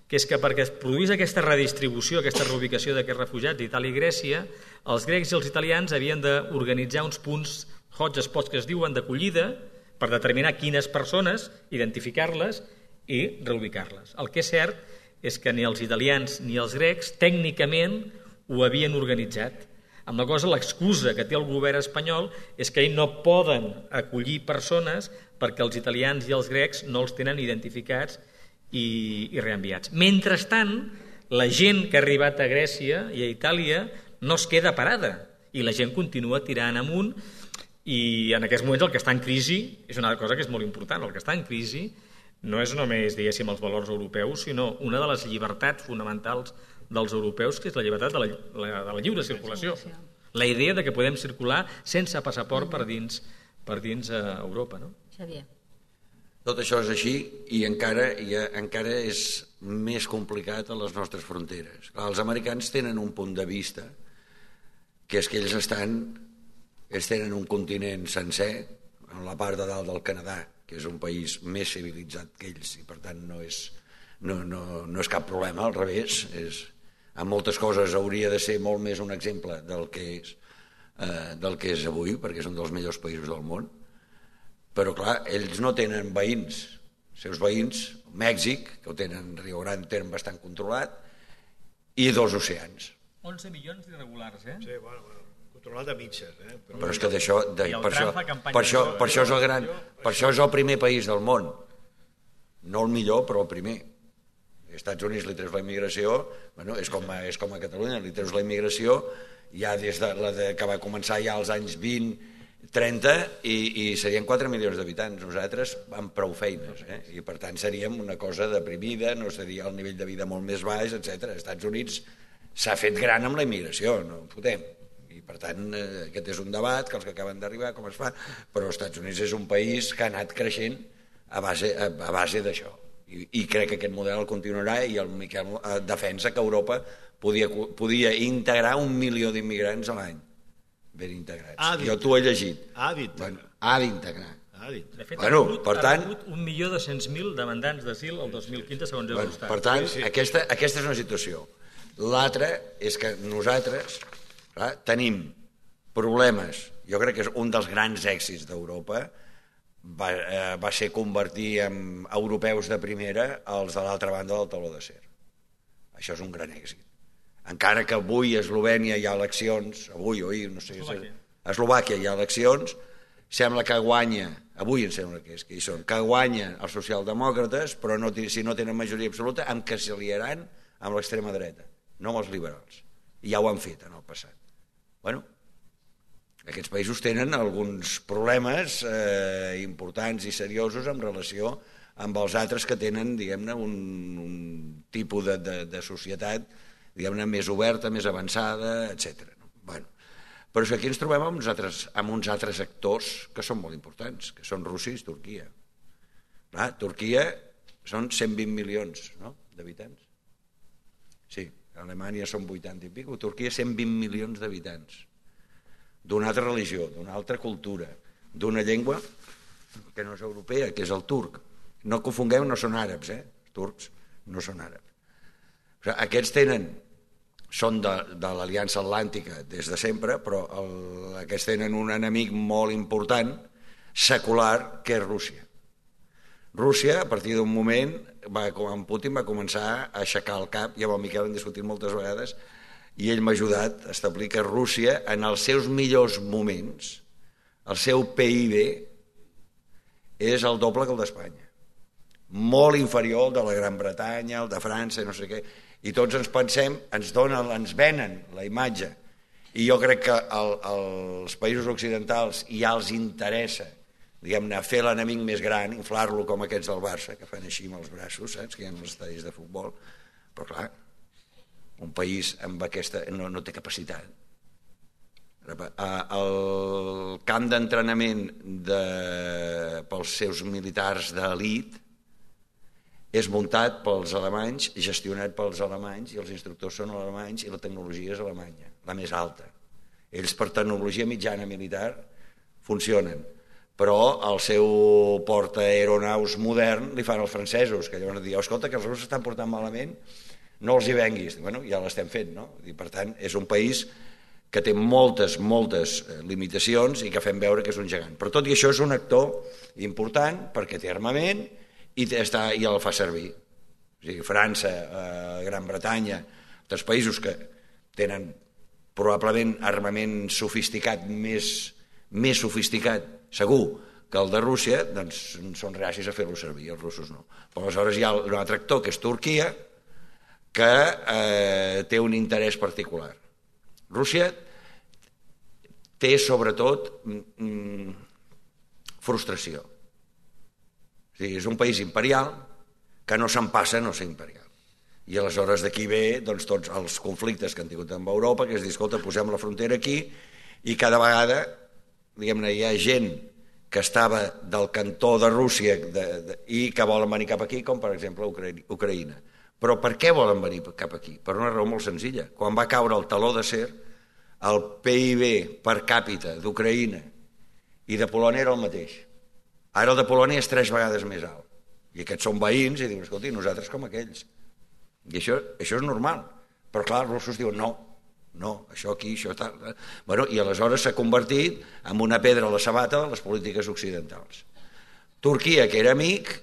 que és que perquè es produís aquesta redistribució, aquesta reubicació d'aquests refugiats d'Itàlia i Grècia, els grecs i els italians havien d'organitzar uns punts hotspots que es diuen d'acollida per determinar quines persones, identificar-les i reubicar-les. El que és cert és que ni els italians ni els grecs tècnicament ho havien organitzat. Amb la cosa, l'excusa que té el govern espanyol és que ells no poden acollir persones perquè els italians i els grecs no els tenen identificats i, i reenviats. Mentrestant, la gent que ha arribat a Grècia i a Itàlia no es queda parada i la gent continua tirant amunt, i en aquests moments el que està en crisi és una cosa que és molt important. El que està en crisi no és només, diguéssim, els valors europeus, sinó una de les llibertats fonamentals dels europeus, que és la llibertat de la, la, de la lliure circulació. La idea de que podem circular sense passaport per dins, per dins a Europa. No? Xavier. Tot això és així i encara, i encara és més complicat a les nostres fronteres. Clar, els americans tenen un punt de vista, que és que ells estan, ells tenen un continent sencer, en la part de dalt del Canadà, que és un país més civilitzat que ells, i per tant no és, no, no, no és cap problema, al revés. És, en moltes coses hauria de ser molt més un exemple del que és, eh, del que és avui, perquè és un dels millors països del món. Però, clar, ells no tenen veïns. Els seus veïns, Mèxic, que ho tenen, Rio Grande, tenen bastant controlat, i dos oceans. onze milions d'irregulars, eh? Sí, bueno, bueno, controlat a mitges, eh? Però, però és que d'això, de, per, això, per, això, per, això és el gran, per això és el primer país del món. No el millor, però el primer. Als Estats Units li treus la immigració, bueno, és, com a, és com a Catalunya, li treus la immigració ja des de la de, que va començar ja als anys vint, trenta, i, i serien quatre milions d'habitants. Nosaltres amb prou feines, eh? I per tant seríem una cosa deprimida, no seria el nivell de vida molt més baix, etcètera. Als Estats Units s'ha fet gran amb la immigració, no ho fotem. I per tant eh, aquest és un debat que els que acaben d'arribar com es fa, però els Estats Units és un país que ha anat creixent a base, a, a base d'això. I, I crec que aquest model el continuarà, i el Miquel eh, defensa que Europa podia, podia integrar un milió d'immigrants a l'any. Ben integrats. Jo t'ho he llegit. Ha d'integrar. Bueno, ha d'integrar. De fet, bueno, ha rebut, per tant, ha rebut un milió dos-cents mil demandants d'asil el dos mil quinze, segons bueno, Eurostat. per tant, sí, sí. Aquesta, aquesta és una situació. L'altra és que nosaltres clar, tenim problemes. Jo crec que és un dels grans èxits d'Europa va, eh, va ser convertir en europeus de primera els de l'altra banda del tauló d'acer. Això és un gran èxit. Encara que avui a Eslovènia hi ha eleccions, avui o ahir, no sé, a A Eslovàquia hi ha eleccions, sembla que guanya, avui em sembla que és, que hi són, que guanyen els socialdemòcrates, però no, si no tenen majoria absoluta, amb què s'aliaran amb l'extrema dreta, no amb els liberals. I ja ho han fet en el passat. Bueno, aquests països tenen alguns problemes eh, importants i seriosos en relació amb els altres que tenen, diguem-ne, un, un tipus de, de, de societat, diguem-ne, més oberta, més avançada, etcètera. Bueno, però aquí ens trobem amb uns, altres, amb uns altres actors que són molt importants, que són Rússia i Turquia. Clar, Turquia són cent vint milions, no?, d'habitants. Sí, a Alemanya són vuitanta i pico, Turquia cent vint milions d'habitants, d'una altra religió, d'una altra cultura, d'una llengua que no és europea, que és el turc. No confongueu, no són àrabs, eh? Els turcs no són àrabs. O sigui, aquests tenen, són de, de l'Aliança Atlàntica des de sempre, però el, aquests tenen un enemic molt important, secular, que és Rússia. Rússia, a partir d'un moment, va, amb Putin va començar a aixecar el cap, i amb el Miquel hem discutit moltes vegades, i ell m'ha ajudat a establir que Rússia, en els seus millors moments, el seu P I B és el doble que el d'Espanya. Molt inferior al de la Gran Bretanya, el de França, no sé què, i tots ens pensem, ens donen, ens venen la imatge, i jo crec que el, els països occidentals ja els interessa, diguem-ne, fer l'enemic més gran, inflar-lo com aquests del Barça, que fan així amb els braços, saps, que hi ha els estadis de futbol, però clar, un país amb aquesta no, no té capacitat. El camp d'entrenament de, pels seus militars d'elit és muntat pels alemanys, gestionat pels alemanys, i els instructors són alemanys i la tecnologia és alemanya, la més alta. Ells per tecnologia mitjana militar funcionen, però el seu portaaeronaus modern li fan els francesos, que llavors diuen, escolta, que els russos estan portant malament, no els hi venguis. Bueno, ja l'estem fent, no? I per tant, és un país que té moltes, moltes limitacions i que fem veure que és un gegant. Però tot i això és un actor important perquè té armament i, està, i el fa servir. O sigui, França, eh, Gran Bretanya, altres països que tenen probablement armament sofisticat, més, més sofisticat, segur, que el de Rússia, doncs són reacis a fer-lo servir, els russos no. Però aleshores hi ha un altre actor, que és Turquia, que eh, té un interès particular. Rússia té sobretot mm, frustració. O sigui, és un país imperial que no se'n passa a no ser imperial. I aleshores d'aquí ve doncs, tots els conflictes que han tingut amb Europa, que és dir, escolta, posem la frontera aquí, i cada vegada, diguem-ne, hi ha gent que estava del cantó de Rússia de, de, i que volen venir cap aquí, com per exemple Ucraïna. Però per què volen venir cap aquí? Per una raó molt senzilla. Quan va caure el taló d'acer, el P I B per càpita d'Ucraïna i de Polònia era el mateix. Ara el de Polònia és tres vegades més alt. I aquests són veïns i diuen, escolta, nosaltres com aquells. I això, això és normal. Però clar, els russos diuen, no, no, això aquí, això tal. Bueno, i aleshores s'ha convertit en una pedra a la sabata de les polítiques occidentals. Turquia, que era amic,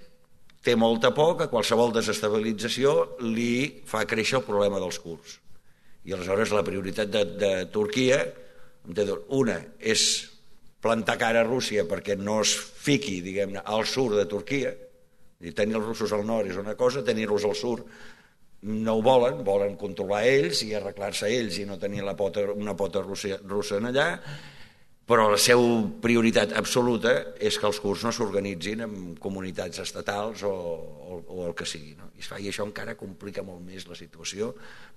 té molta por que qualsevol desestabilització li fa créixer el problema dels kurds. I aleshores la prioritat de, de Turquia, una, és plantar cara a Rússia perquè no es fiqui, diguem-ne, al sud de Turquia. I tenir els russos al nord és una cosa, tenir-los al sud no ho volen, volen controlar ells i arreglar-se ells i no tenir la pota, una pota russa, russa en allà, però la seva prioritat absoluta és que els kurds no s'organitzin en comunitats estatals o, o, o el que sigui. No? I, fa, I això encara complica molt més la situació,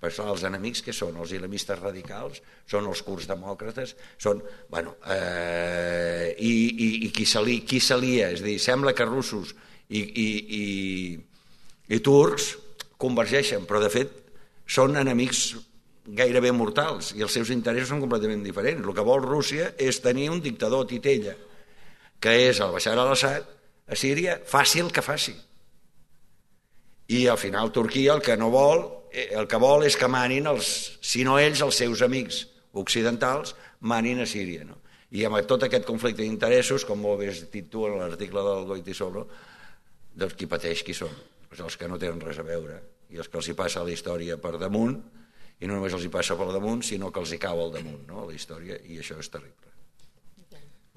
perquè els enemics que són els islamistes radicals, són els kurds demòcrates, són, bueno, eh, i, i, i qui s'alia, qui s'alia, és a dir, sembla que russos i, i, i, i turcs convergeixen, però de fet són enemics gairebé mortals i els seus interessos són completament diferents. El que vol Rússia és tenir un dictador titella, que és el Bashar al-Assad, a Síria, fàcil que faci. I al final Turquia el que no vol, el que vol és que manin, els, si no ells, els seus amics occidentals, manin a Síria. No? I amb tot aquest conflicte d'interessos, com molt bé has dit tu en l'article del Goytisolo, doncs qui pateix qui són? Doncs els que no tenen res a veure i els que els hi passa la història per damunt, i no només els hi passa per damunt, sinó que els hi cau al damunt, no? La història, i això és terrible.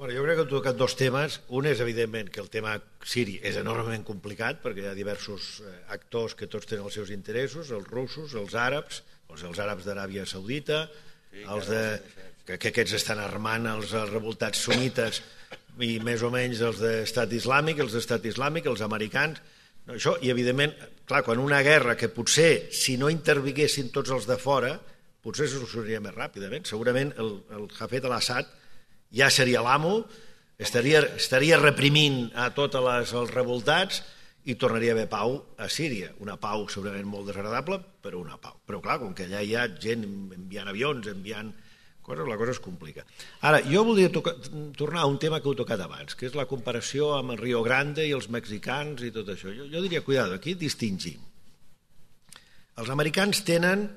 Bueno, jo crec que heu tocat dos temes. Un és, evidentment, que el tema siri és enormement complicat perquè hi ha diversos actors que tots tenen els seus interessos, els russos, els àrabs, doncs els àrabs d'Aràbia Saudita, els de, que, que aquests estan armant els revoltats sunites i més o menys els d'estat islàmic, els d'estat islàmic, els americans. No, això, i evidentment, clar, quan una guerra que potser, si no intervinguessin tots els de fora, potser se solucionaria més ràpidament. Segurament el, el Hafez al-Assad ja seria l'amo, estaria, estaria reprimint a tots les, els revoltats i tornaria a haver pau a Síria. Una pau segurament molt desagradable, però una pau. Però clar, com que allà hi ha gent enviant avions, enviant coses, la cosa es complica. Ara, jo voldria tocar, tornar a un tema que heu tocat abans, que és la comparació amb el Rio Grande i els mexicans i tot això. Jo, jo diria, cuidado, aquí distingim. Els americans tenen,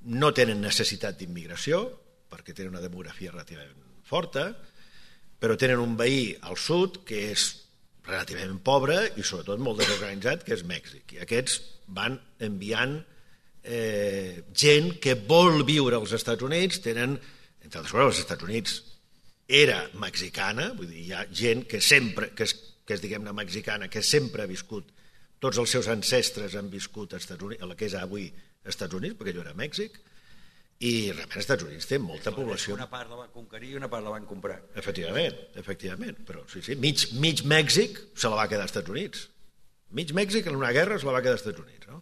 no tenen necessitat d'immigració, perquè tenen una demografia relativament forta, però tenen un veí al sud que és relativament pobre i sobretot molt desorganitzat, que és Mèxic. I aquests van enviant eh, gent que vol viure als Estats Units, tenen, entre altres coses, els Estats Units era mexicana, vull dir, hi ha gent que sempre, que és, que és diguem-ne mexicana, que sempre ha viscut, tots els seus ancestres han viscut a Estats Units, a la que és avui Estats Units, perquè allò era Mèxic, i realment els Estats Units té molta població. Una part la van conquerir i una part la van comprar. Efectivament, efectivament. Però sí, sí, mig, mig Mèxic se la va quedar als Estats Units. Mig Mèxic en una guerra se la va quedar als Estats Units. No?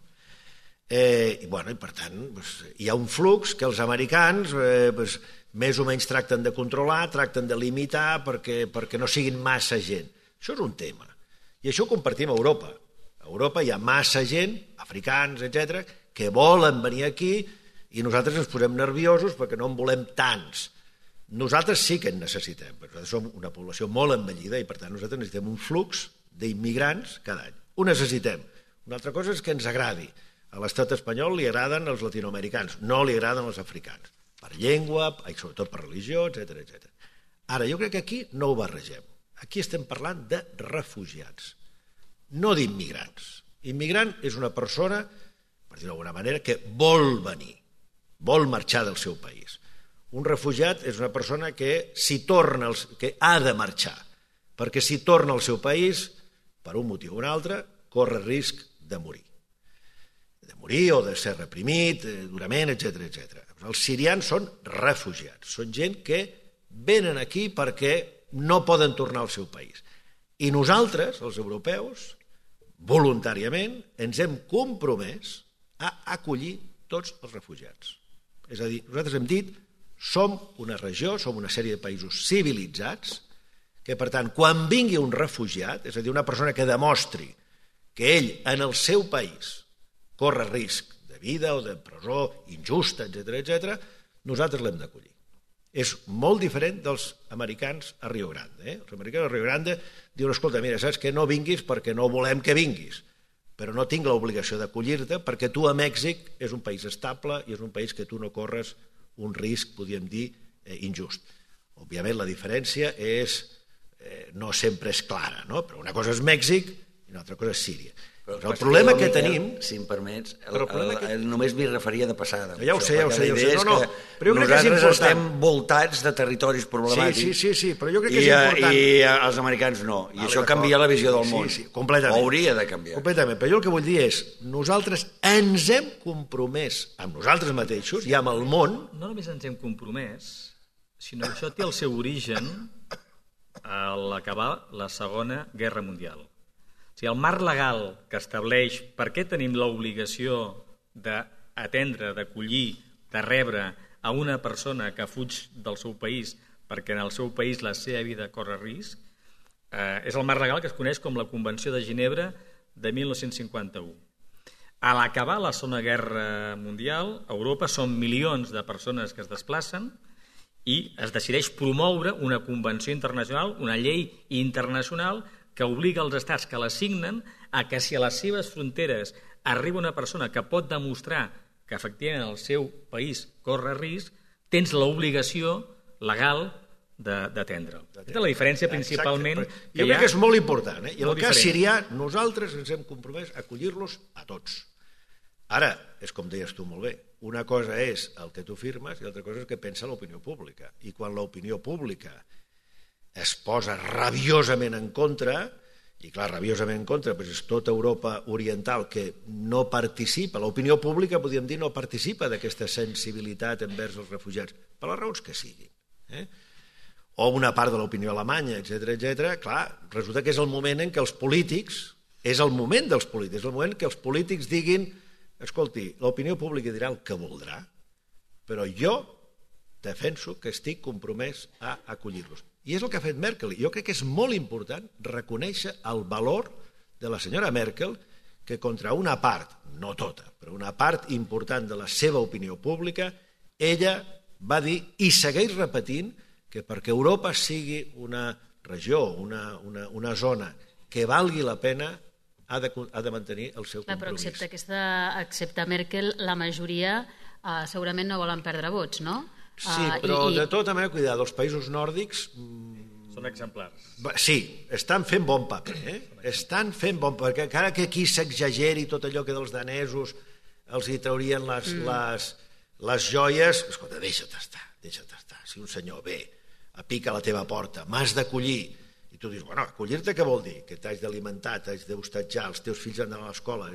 Eh, i, bueno, i per tant, doncs, hi ha un flux que els americans eh, doncs, més o menys tracten de controlar, tracten de limitar perquè, perquè no siguin massa gent. Això és un tema. I això ho compartim a Europa. A Europa hi ha massa gent, africans, etcètera, que volen venir aquí i nosaltres ens posem nerviosos perquè no en volem tants. Nosaltres sí que en necessitem, perquè nosaltres som una població molt envellida i per tant nosaltres necessitem un flux d'immigrants cada any. Ho necessitem. Una altra cosa és que ens agradi. A l'estat espanyol li agraden els latinoamericans, no li agraden els africans, per llengua, i sobretot per religió, etcètera, etcètera. Ara, jo crec que aquí no ho barregem. Aquí estem parlant de refugiats, no d'immigrants. Immigrant és una persona, per dir-ho d'alguna manera, que vol venir, vol marxar del seu país. Un refugiat és una persona que s'hi torna, que ha de marxar, perquè si torna al seu país, per un motiu o un altre, corre risc de morir. De morir o de ser reprimit, durament, etcètera, etcètera. Els sirians són refugiats, són gent que venen aquí perquè no poden tornar al seu país. I nosaltres, els europeus, voluntàriament, ens hem compromès a acollir tots els refugiats. És a dir, nosaltres hem dit, som una regió, som una sèrie de països civilitzats, que per tant, quan vingui un refugiat, és a dir, una persona que demostri que ell, en el seu país, corre risc de vida o de presó injusta, etcètera, etcètera, nosaltres l'hem d'acollir. És molt diferent dels americans a Rio Grande. Eh? Els americans a Rio Grande diuen, escolta, mira, saps que no vinguis perquè no volem que vinguis, però no tinc l'obligació d'acollir-te perquè tu a Mèxic és un país estable i és un país que tu no corres un risc, podríem dir, eh, injust. Òbviament la diferència és, eh, no sempre és clara, no? Però una cosa és Mèxic i una altra cosa és Síria. Però el problema que tenim... Si em permets, el, el, el, el, només m'hi referia de passada. Ja ho sé, ja ho sé. Ja ho sé. No, no, però jo crec que és important. Nosaltres estem voltats de territoris problemàtics. Sí, sí, sí, sí, però jo crec que i, és important. I els americans no. I vale, això canvia la visió del món. Sí, sí, completament. O hauria de canviar. Completament. Però jo el que vull dir és, nosaltres ens hem compromès amb nosaltres mateixos i amb el món... No només ens hem compromès, sinó que això té el seu origen a l'acabar la Segona Guerra Mundial. O sigui, el marc legal que estableix per què tenim l'obligació d'atendre, d'acollir, de rebre a una persona que fuig del seu país perquè en el seu país la seva vida corre risc, eh, és el marc legal que es coneix com la Convenció de Ginebra de mil nou-cents cinquanta-u. A l'acabar la Segona Guerra Mundial, a Europa són milions de persones que es desplacen i es decideix promoure una convenció internacional, una llei internacional que obliga els estats que la signen a que si a les seves fronteres arriba una persona que pot demostrar que efectivament el seu país corre risc, tens l'obligació legal d'atendre'l. Aquesta és la diferència principalment. Exacte. Jo crec que és molt important. Eh? I en el cas sirià, nosaltres ens hem compromès a acollir-los a tots. Ara, és com deies tu molt bé, una cosa és el que tu firmes i l'altra cosa és el que pensa l'opinió pública. I quan l'opinió pública es posa rabiosament en contra, i clar, rabiosament en contra, doncs és tota Europa oriental que no participa, l'opinió pública, podríem dir, no participa d'aquesta sensibilitat envers els refugiats, per les raons que siguin. Eh? O una part de l'opinió alemanya, etcètera, etcètera. Clar, resulta que és el moment en què els polítics, és el moment dels polítics, és el moment que els polítics diguin, escolti, l'opinió pública dirà el que voldrà, però jo defenso que estic compromès a acollir-los. I és el que ha fet Merkel. Jo crec que és molt important reconèixer el valor de la senyora Merkel, que contra una part, no tota, però una part important de la seva opinió pública, ella va dir i segueix repetint que perquè Europa sigui una regió, una, una, una zona que valgui la pena, ha de, ha de mantenir el seu compromís. Però excepte, aquesta, excepte Merkel, la majoria eh, segurament no volen perdre vots, no? Sí, però de tota manera, cuidado, els països nòrdics... Són exemplars. Sí, estan fent bon paper, eh? Estan fent bon paper, perquè encara que aquí s'exageri tot allò que dels danesos els hi traurien les, mm. les, les joies, escolta, deixa't estar, deixa't estar. Si un senyor ve, pica a la teva porta, m'has d'acollir, i tu dius, bueno, acollir-te què vol dir? Que t'has d'alimentar, t'has d'hostatjar, els teus fills han d'anar a l'escola,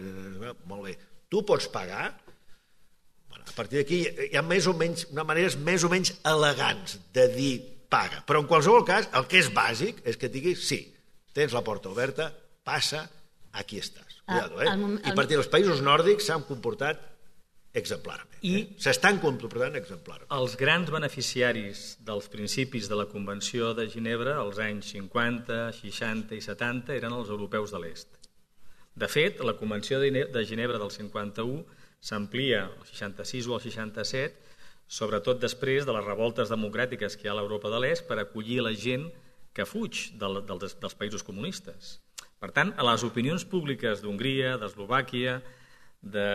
molt bé. Tu pots pagar? A partir d'aquí hi ha més o menys, una maneres més o menys elegants de dir paga. Però en qualsevol cas, el que és bàsic és que et diguis sí, tens la porta oberta, passa, aquí estàs. Cuidado, eh? I a partir dels països nòrdics s'han comportat exemplarment. I eh? s'estan comportant exemplarment. Els grans beneficiaris dels principis de la Convenció de Ginebra als anys cinquanta, seixanta i setanta eren els europeus de l'est. De fet, la Convenció de Ginebra del cinquanta-u s'amplia al seixanta-sis o al seixanta-set, sobretot després de les revoltes democràtiques que hi ha a l'Europa de l'Est per acollir la gent que fuig del, dels, dels països comunistes. Per tant, a les opinions públiques d'Hongria, d'Eslovàquia, de,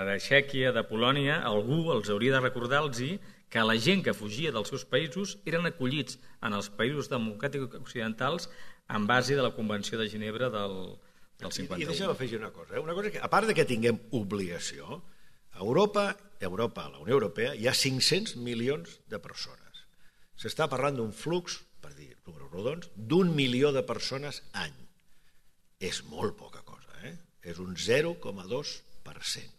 de Txèquia, de Polònia, algú els hauria de recordar-los que la gent que fugia dels seus països eren acollits en els països democràtics occidentals en base de la Convenció de Ginebra del, del cinquanta-u. I, i deixa'm afegir una cosa, eh? una cosa que, a part de que tinguem obligació, a Europa, a Europa, a la Unió Europea, hi ha cinc-cents milions de persones. S'està parlant d'un flux, per dir números rodons, d'un milió de persones any. És molt poca cosa, eh? És un zero coma dos per cent.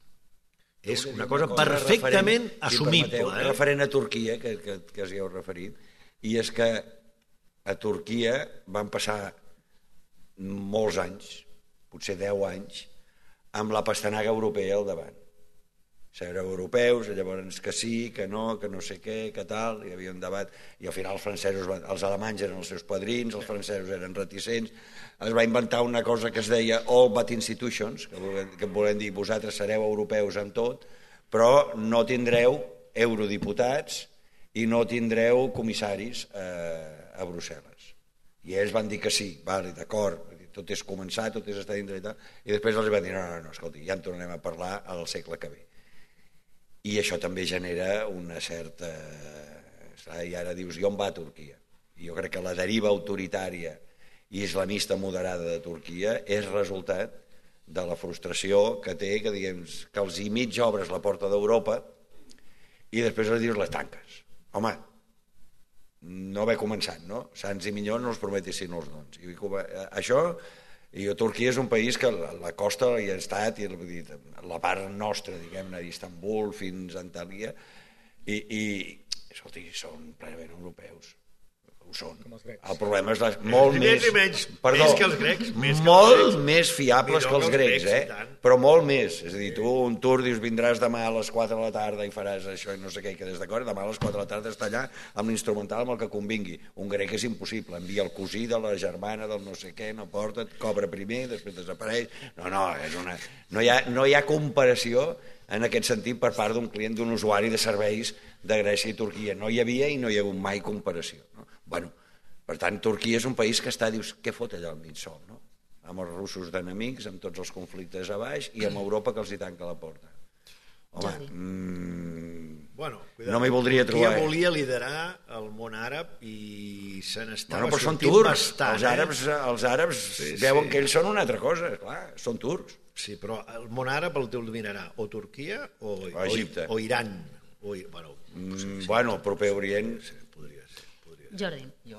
És una cosa perfectament assumible. Eh? Referent a Turquia, que, que, que us hi heu referit, i és que a Turquia van passar molts anys, potser deu anys, amb la pastanaga europea al davant. Ser europeus, llavors que sí, que no, que no sé què, que tal, hi havia un debat, i al final els francesos, els alemanys eren els seus padrins, els francesos eren reticents, es va inventar una cosa que es deia all but institutions, que volem, que volem dir vosaltres sereu europeus amb tot, però no tindreu eurodiputats i no tindreu comissaris eh, a Brussel·les. I ells van dir que sí, vale, d'acord, tot és començar, tot és estar dintre i tal, i després els van dir, no, no, no, escolti, ja en tornarem a parlar al segle que ve. I això també genera una certa... I ara dius, i on va Turquia? I jo crec que la deriva autoritària i islamista moderada de Turquia és resultat de la frustració que té, que, diguem, que els i mig obres la porta d'Europa i després els dius les tanques. Home, no haver començat, no? Sants i millors no els prometessin els dons. I això... I Turquia és un país que la, la costa hi ha estat, i la part nostra, diguem-ne, d'Istanbul fins a Antalya, i, i escolti, són plenament europeus. Ho són. El problema és la, molt més... Més i menys, perdó, més que els grecs. Més molt que els grecs, més fiables que els grecs, eh? Però molt més. És a dir, tu un tour dius vindràs demà a les quatre de la tarda i faràs això i no sé què, i quedes d'acord, demà a les quatre de la tarda està allà amb l'instrumental amb el que convingui. Un grec és impossible, envia el cosí de la germana del no sé què, no porta, cobra primer, després desapareix... No, no, és una... no, hi ha, no hi ha comparació en aquest sentit per part d'un client, d'un usuari de serveis de Grècia i Turquia. No hi havia i no hi ha hagut mai comparació, no? Bueno, per tant, Turquia és un país que està, dius, què fot allà al mig sol, no? Amb els russos d'enemics, amb tots els conflictes a baix i amb Europa que els hi tanca la porta. Home, mmm, bueno, no m'hi voldria trobar. Turquia volia liderar el món àrab i se n'estava bueno, sortint turcs. bastant. Els àrabs, els àrabs sí, veuen sí. que ells són una altra cosa, clar, són turcs. Sí, però el món àrab el dominarà o Turquia o, o Egipte. O, o Iran. O, bueno, mm, sí, bueno, el proper Orient... Sí, podria ser. Podria ser. Jordi. Jo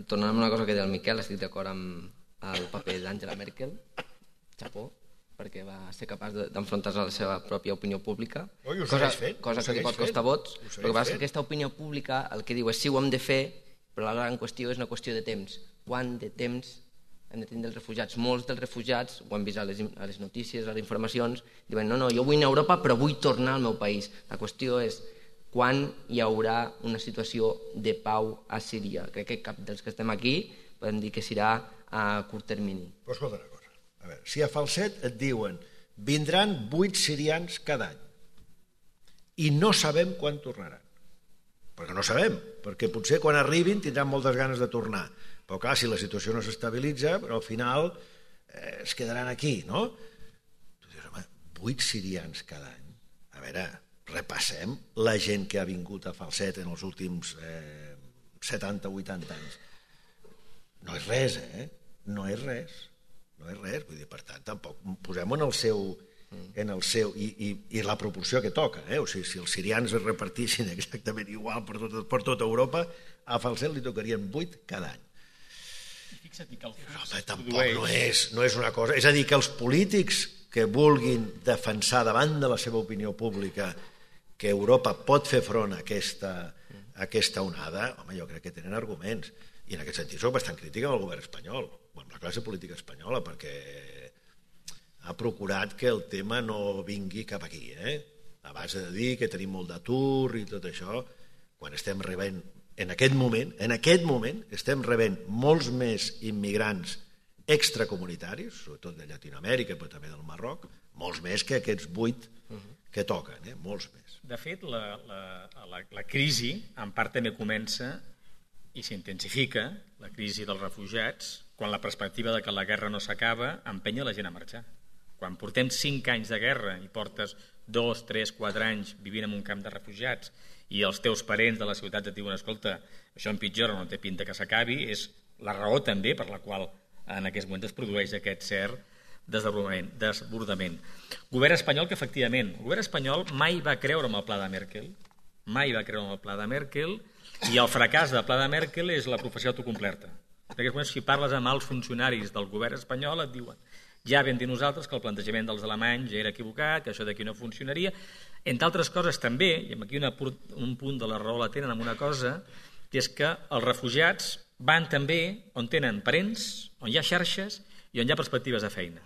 tornant a una cosa que deia el Miquel, estic d'acord amb el paper d'Angela Merkel, Japó, perquè va ser capaç d'enfrontar-se a la seva pròpia opinió pública, Oi, ho cosa, segueix fent, cosa ho que li segueix pot costar fent. vots. Ho segueix El que passa és fent. que aquesta opinió pública el que diu és sí, ho hem de fer, però la gran qüestió és una qüestió de temps. Quant de temps hem de tenir els refugiats? Molts dels refugiats, ho hem vist a les, a les notícies, a les informacions, diuen no, no, jo vull anar a Europa però vull tornar al meu país. La qüestió és quan hi haurà una situació de pau a Síria. Crec que cap dels que estem aquí podem dir que serà a curt termini. Però escolta una cosa, a veure, si a Falset et diuen vindran vuit sirians cada any i no sabem quan tornaran, perquè no sabem, perquè potser quan arribin tindran moltes ganes de tornar, però clar, si la situació no s'estabilitza, però al final eh, es quedaran aquí, no? Tu dius, home, vuit sirians cada any. A veure, repassem la gent que ha vingut a Falset en els últims eh, setanta o vuitanta anys. No és res, eh? No és res. No és res, vull dir, per tant, tampoc posem en el seu, en el seu i, i, i la proporció que toca, eh? O sigui, si els sirians es repartissin exactament igual per tot, per tota Europa, a Falset li tocarien vuit cada any. Fixa't que el Però, home, tampoc no és, no és una cosa... És a dir, que els polítics que vulguin defensar davant de la seva opinió pública que Europa pot fer front a aquesta, a aquesta onada, home, jo crec que tenen arguments. I en aquest sentit soc bastant crític amb el govern espanyol, o amb la classe política espanyola, perquè ha procurat que el tema no vingui cap aquí, eh? A base de dir que tenim molt d'atur i tot això, quan estem rebent, en aquest moment, en aquest moment, estem rebent molts més immigrants extracomunitaris, sobretot de Llatinoamèrica, però també del Marroc, molts més que aquests vuit que toquen, eh? Molts més. De fet, la, la, la, la crisi en part també comença i s'intensifica, la crisi dels refugiats, quan la perspectiva de que la guerra no s'acaba empenya la gent a marxar. Quan portem cinc anys de guerra i portes dos, tres, quatre anys vivint en un camp de refugiats i els teus parents de la ciutat et diuen escolta, això empitjora, no té pinta que s'acabi, és la raó també per la qual en aquest moment es produeix aquest cert desbordament. desbordament. Govern espanyol que efectivament, el govern espanyol mai va creure en el pla de Merkel, mai va creure en el pla de Merkel, i el fracàs del pla de Merkel és la professió autocomplerta. En aquests moments, si parles amb els funcionaris del govern espanyol, et diuen ja vam dir nosaltres que el plantejament dels alemanys ja era equivocat, que això d'aquí no funcionaria. Entre altres coses també, i aquí una, un punt de la raó la tenen amb una cosa, que és que els refugiats van també on tenen parents, on hi ha xarxes i on hi ha perspectives de feina.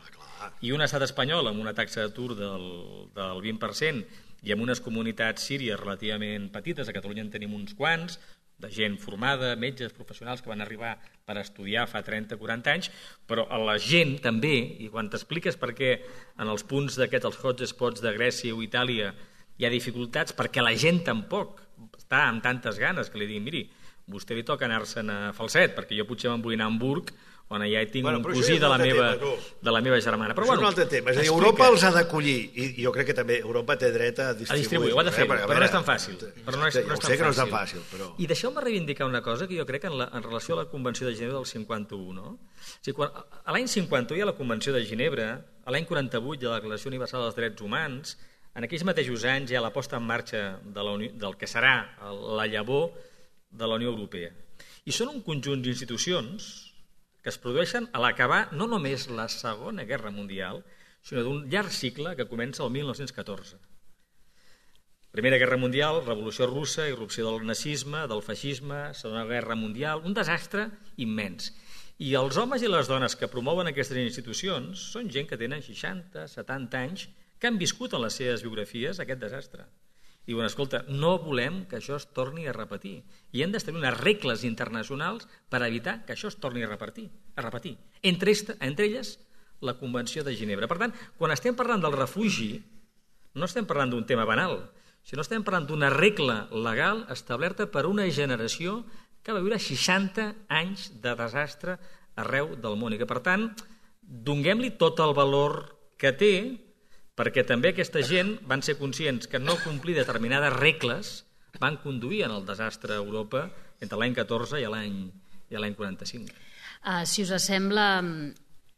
I un estat espanyol amb una taxa d'atur del, del vint per cent i amb unes comunitats síries relativament petites, a Catalunya en tenim uns quants, de gent formada, metges, professionals que van arribar per estudiar fa trenta o quaranta anys, però a la gent també, i quan t'expliques per què en els punts d'aquests, els hotspots de Grècia o Itàlia, hi ha dificultats, perquè la gent tampoc està amb tantes ganes que li diguin, miri, vostè li toca anar-se'n a Falset, perquè jo potser me'n vull anar a Hamburg, on ja hi tinc bueno, un cosí de la, meva, tema, de la meva germana. Però, això bueno, és un altre tema. És a dir, Europa els ha d'acollir, i jo crec que també Europa té dret a distribuir. A distribuir, ho ha de fer, eh, però no és tan fàcil. Però no és, no és jo sé que no és tan fàcil. Però... I deixeu-me reivindicar una cosa que jo crec en, la, en relació a la Convenció de Ginebra del cinquanta-u. No? O sigui, quan, a l'any cinquanta-u hi ha la Convenció de Ginebra, a l'any quaranta-vuit hi ha la Declaració Universal dels Drets Humans, en aquells mateixos anys hi ha la posta en marxa de la Unió, del que serà la llavor de la Unió Europea. I són un conjunt d'institucions que es produeixen a l'acabar no només la Segona Guerra Mundial, sinó d'un llarg cicle que comença el mil nou-cents catorze. Primera Guerra Mundial, Revolució Russa, irrupció del nazisme, del feixisme, Segona Guerra Mundial, un desastre immens. I els homes i les dones que promouen aquestes institucions són gent que tenen seixanta, setanta anys, que han viscut en les seves biografies aquest desastre. I diuen, escolta, no volem que això es torni a repetir. I hem d'establir unes regles internacionals per evitar que això es torni a repetir. A repetir. Entre, esta, entre elles, la Convenció de Ginebra. Per tant, quan estem parlant del refugi, no estem parlant d'un tema banal, sinó estem parlant d'una regla legal establerta per una generació que va viure seixanta anys de desastre arreu del món. I que, per tant, donem-li tot el valor que té, perquè també aquesta gent van ser conscients que no complir determinades regles van conduir en el desastre a Europa entre l'any catorze i l'any quaranta-cinc. Uh, si us sembla,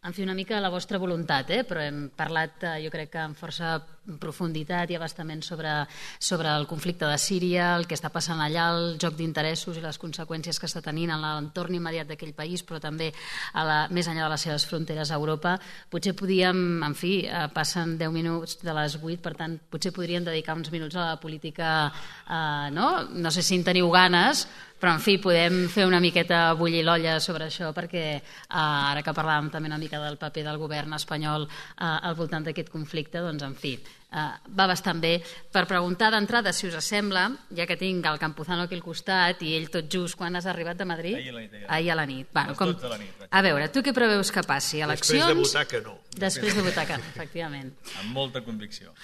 en fi, una mica la vostra voluntat, eh? Però hem parlat, jo crec que amb força profunditat i abastament sobre, sobre el conflicte de Síria, el que està passant allà, el joc d'interessos i les conseqüències que està tenint en l'entorn immediat d'aquell país, però també a la, més enllà de les seves fronteres a Europa. Potser podíem, en fi, passen deu minuts de les vuit, per tant, potser podríem dedicar uns minuts a la política, eh, no? No sé si en teniu ganes, però, en fi, podem fer una miqueta bullir l'olla sobre això, perquè eh, ara que parlàvem també una mica del paper del govern espanyol eh, al voltant d'aquest conflicte, doncs, en fi, eh, va bastant bé. Per preguntar d'entrada, si us sembla, ja que tinc el Campuzano aquí al costat i ell tot just, quan has arribat de Madrid? Ahir a la nit. Ja. Ahir a la nit. Bueno, les com... dotze de la nit. A veure, tu què preveus que passi? Eleccions? Després de votar que no. Després de votar que no, efectivament. Amb molta convicció.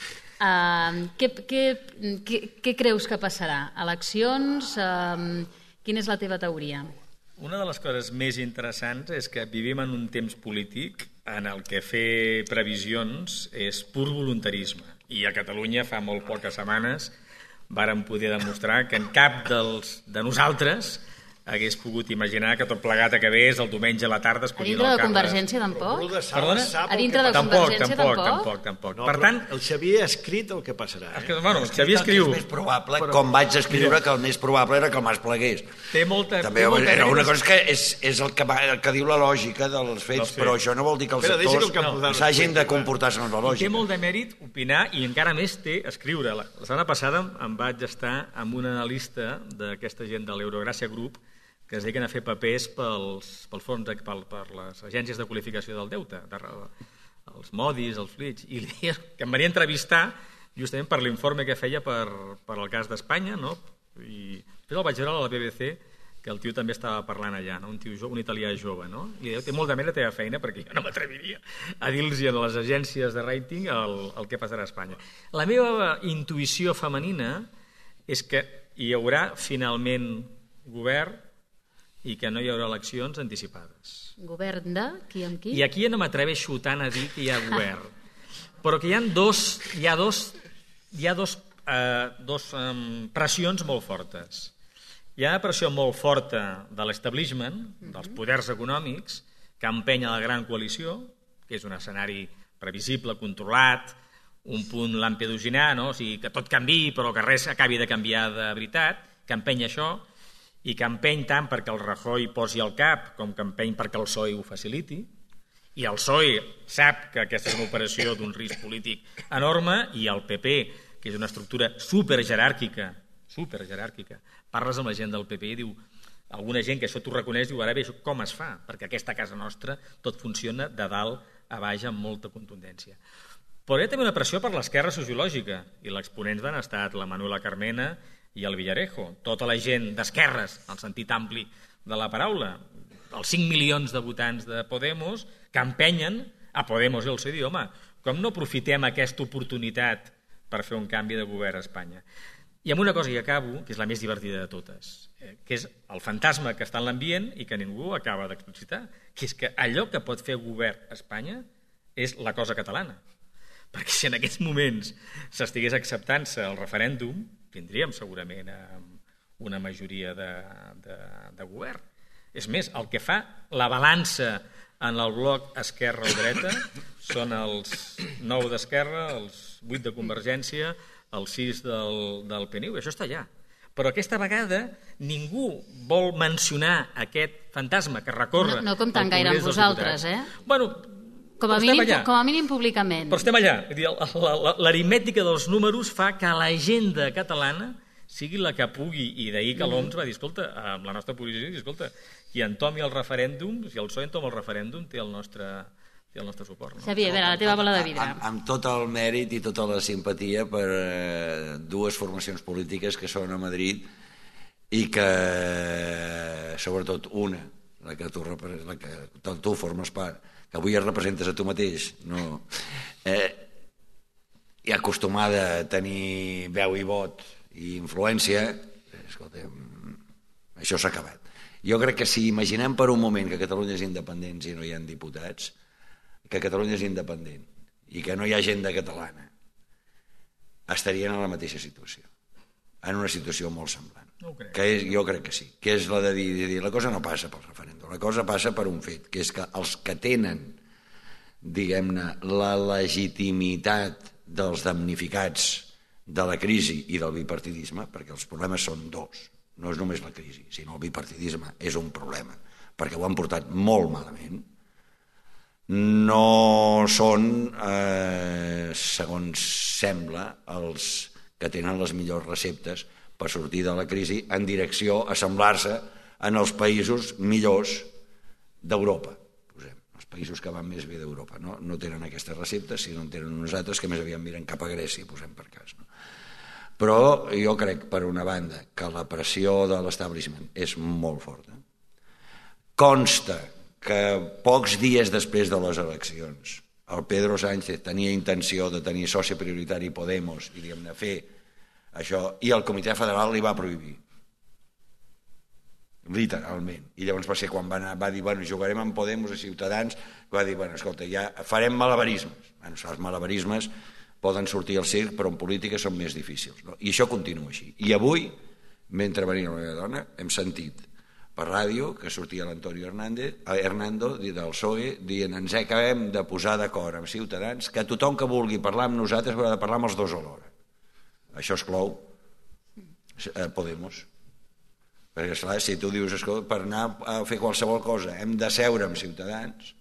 Uh, què, què, què, què creus que passarà? Eleccions? Uh, quina és la teva teoria? Una de les coses més interessants és que vivim en un temps polític en el que fer previsions és pur voluntarisme. I a Catalunya fa molt poques setmanes vàrem poder demostrar que en cap dels, de nosaltres hagués pogut imaginar que tot plegat acabés el diumenge a la tarda A escollint dintre de l'alcalde. Convergència tampoc? Perdona? A dintre de Tampoc, Convergència tampoc, tampoc? tampoc, tampoc. No, Per tant, el Xavier ha escrit el que passarà. és Eh? que, bueno, el Xavier És escriu... més probable, com vaig escriure que el més probable era que el Mas plegués. Té molta... També té molta era una mèrit. cosa que és, és el, que va, el que diu la lògica dels fets, Dels fets. però això no vol dir que els Espera, deixa que el sectors Campuzano s'hagin de expliqui, va. comportar segons la Té lògica. molt de mèrit opinar i encara més té escriure. La, la setmana passada em vaig estar amb un analista d'aquesta gent de l'Eurogràcia Group que es dediquen a fer papers pels, pels fons, de, pel, per les agències de qualificació del deute, de, els Modis, els Flitch, i li deia que em venia a entrevistar justament per l'informe que feia per, per el cas d'Espanya, no? I després el vaig veure a la B B C, que el tio també estava parlant allà, no? un, tio jo, un italià jove, no? I deia, té molt de mèrit la teva feina, perquè jo no m'atreviria a dir-los a les agències de rating el, el que passarà a Espanya. La meva intuïció femenina és que hi haurà finalment govern i que no hi haurà eleccions anticipades. Govern de qui amb qui? I aquí ja no m'atreveixo tant a dir que hi ha govern, però que hi ha dos, hi ha dos, hi ha dos, eh, dos um, pressions molt fortes. Hi ha una pressió molt forta de l'establishment, dels poders econòmics, que empenya la gran coalició, que és un escenari previsible, controlat, un punt lampedusinar, no? O sigui, que tot canviï però que res acabi de canviar de veritat, que empenya això, i que empeny tant perquè el Rajoy posi al cap com que empeny perquè el P S O E ho faciliti, i el P S O E sap que aquesta és una operació d'un risc polític enorme, i el P P, que és una estructura superjeràrquica, superjeràrquica, parles amb la gent del P P i diu, alguna gent que això t'ho reconeix, diu, ara bé, com es fa? Perquè aquesta casa nostra tot funciona de dalt a baix amb molta contundència. Però hi ha també una pressió per l'esquerra sociològica, i l'exponents van estar la Manuela Carmena i el Villarejo, tota la gent d'esquerres, en el sentit ampli de la paraula, els cinc milions de votants de Podemos, que empenyen a Podemos i el seu idioma. Com no aprofitem aquesta oportunitat per fer un canvi de govern a Espanya? I amb una cosa que acabo, que és la més divertida de totes, que és el fantasma que està en l'ambient i que ningú acaba d'explicitar, que és que allò que pot fer govern a Espanya és la cosa catalana. Perquè si en aquests moments s'estigués acceptant-se el referèndum, tindríem segurament una majoria de, de, de govern. És més, el que fa la balança en el bloc esquerra o dreta són els nou d'Esquerra, els vuit de Convergència, els sis del, del P N U, això està allà. Però aquesta vegada ningú vol mencionar aquest fantasma que recorre... No, no comptant gaire amb vosaltres, eh? Bueno, com a, mínim, com a mínim públicament. Però estem allà. L'aritmètica dels números fa que l'agenda catalana sigui la que pugui, i d'ahir que l'O M S va dir, escolta, amb la nostra posició, escolta, qui entomi el referèndum, si el P S O E entoma el referèndum, té el nostre, té el nostre suport. No? Xavier, a veure, la teva bola de vidre. Amb, amb tot el mèrit i tota la simpatia per eh, dues formacions polítiques que són a Madrid i que, sobretot una, la que tu, la que tu formes part, que avui es representes a tu mateix, no, eh, i acostumada a tenir veu i vot i influència, escolta, això s'ha acabat. Jo crec que si imaginem per un moment que Catalunya és independent i no hi ha diputats, que Catalunya és independent i que no hi ha agenda catalana, estarien en la mateixa situació, en una situació molt semblant. No ho crec. Que és, jo crec que sí, que és la de dir, de dir la cosa no passa pel referèndum, la cosa passa per un fet, que és que els que tenen diguem-ne, la legitimitat dels damnificats de la crisi i del bipartidisme, perquè els problemes són dos, no és només la crisi, sinó el bipartidisme és un problema, perquè ho han portat molt malament. No són, eh, segons sembla, els que tenen les millors receptes per sortir de la crisi en direcció a semblar-se en els països millors d'Europa. Els països que van més bé d'Europa no, no tenen aquestes receptes, sinó en tenen uns altres que més aviat miren cap a Grècia, posem per cas. No? Però jo crec, per una banda, que la pressió de l'establishment és molt forta. Consta que pocs dies després de les eleccions el Pedro Sánchez tenia intenció de tenir soci prioritari Podemos i diguem-ne fer això, i el Comitè Federal li va prohibir, literalment. I llavors va ser quan va, anar, va dir, bueno, jugarem amb Podemos i Ciutadans, va dir, bueno, escolta, ja farem malabarismes. Bueno, els malabarismes poden sortir al circ, però en política són més difícils. No? I això continua així. I avui, mentre venia la meva dona, hem sentit per ràdio que sortia l'Antonio Hernando del P S O E dient ens acabem de posar d'acord amb Ciutadans que tothom que vulgui parlar amb nosaltres haurà de parlar amb els dos alhora. Això exclou eh, Podemos. Perquè, esclar, si tu dius, escolta, per anar a fer qualsevol cosa hem de seure amb Ciutadans,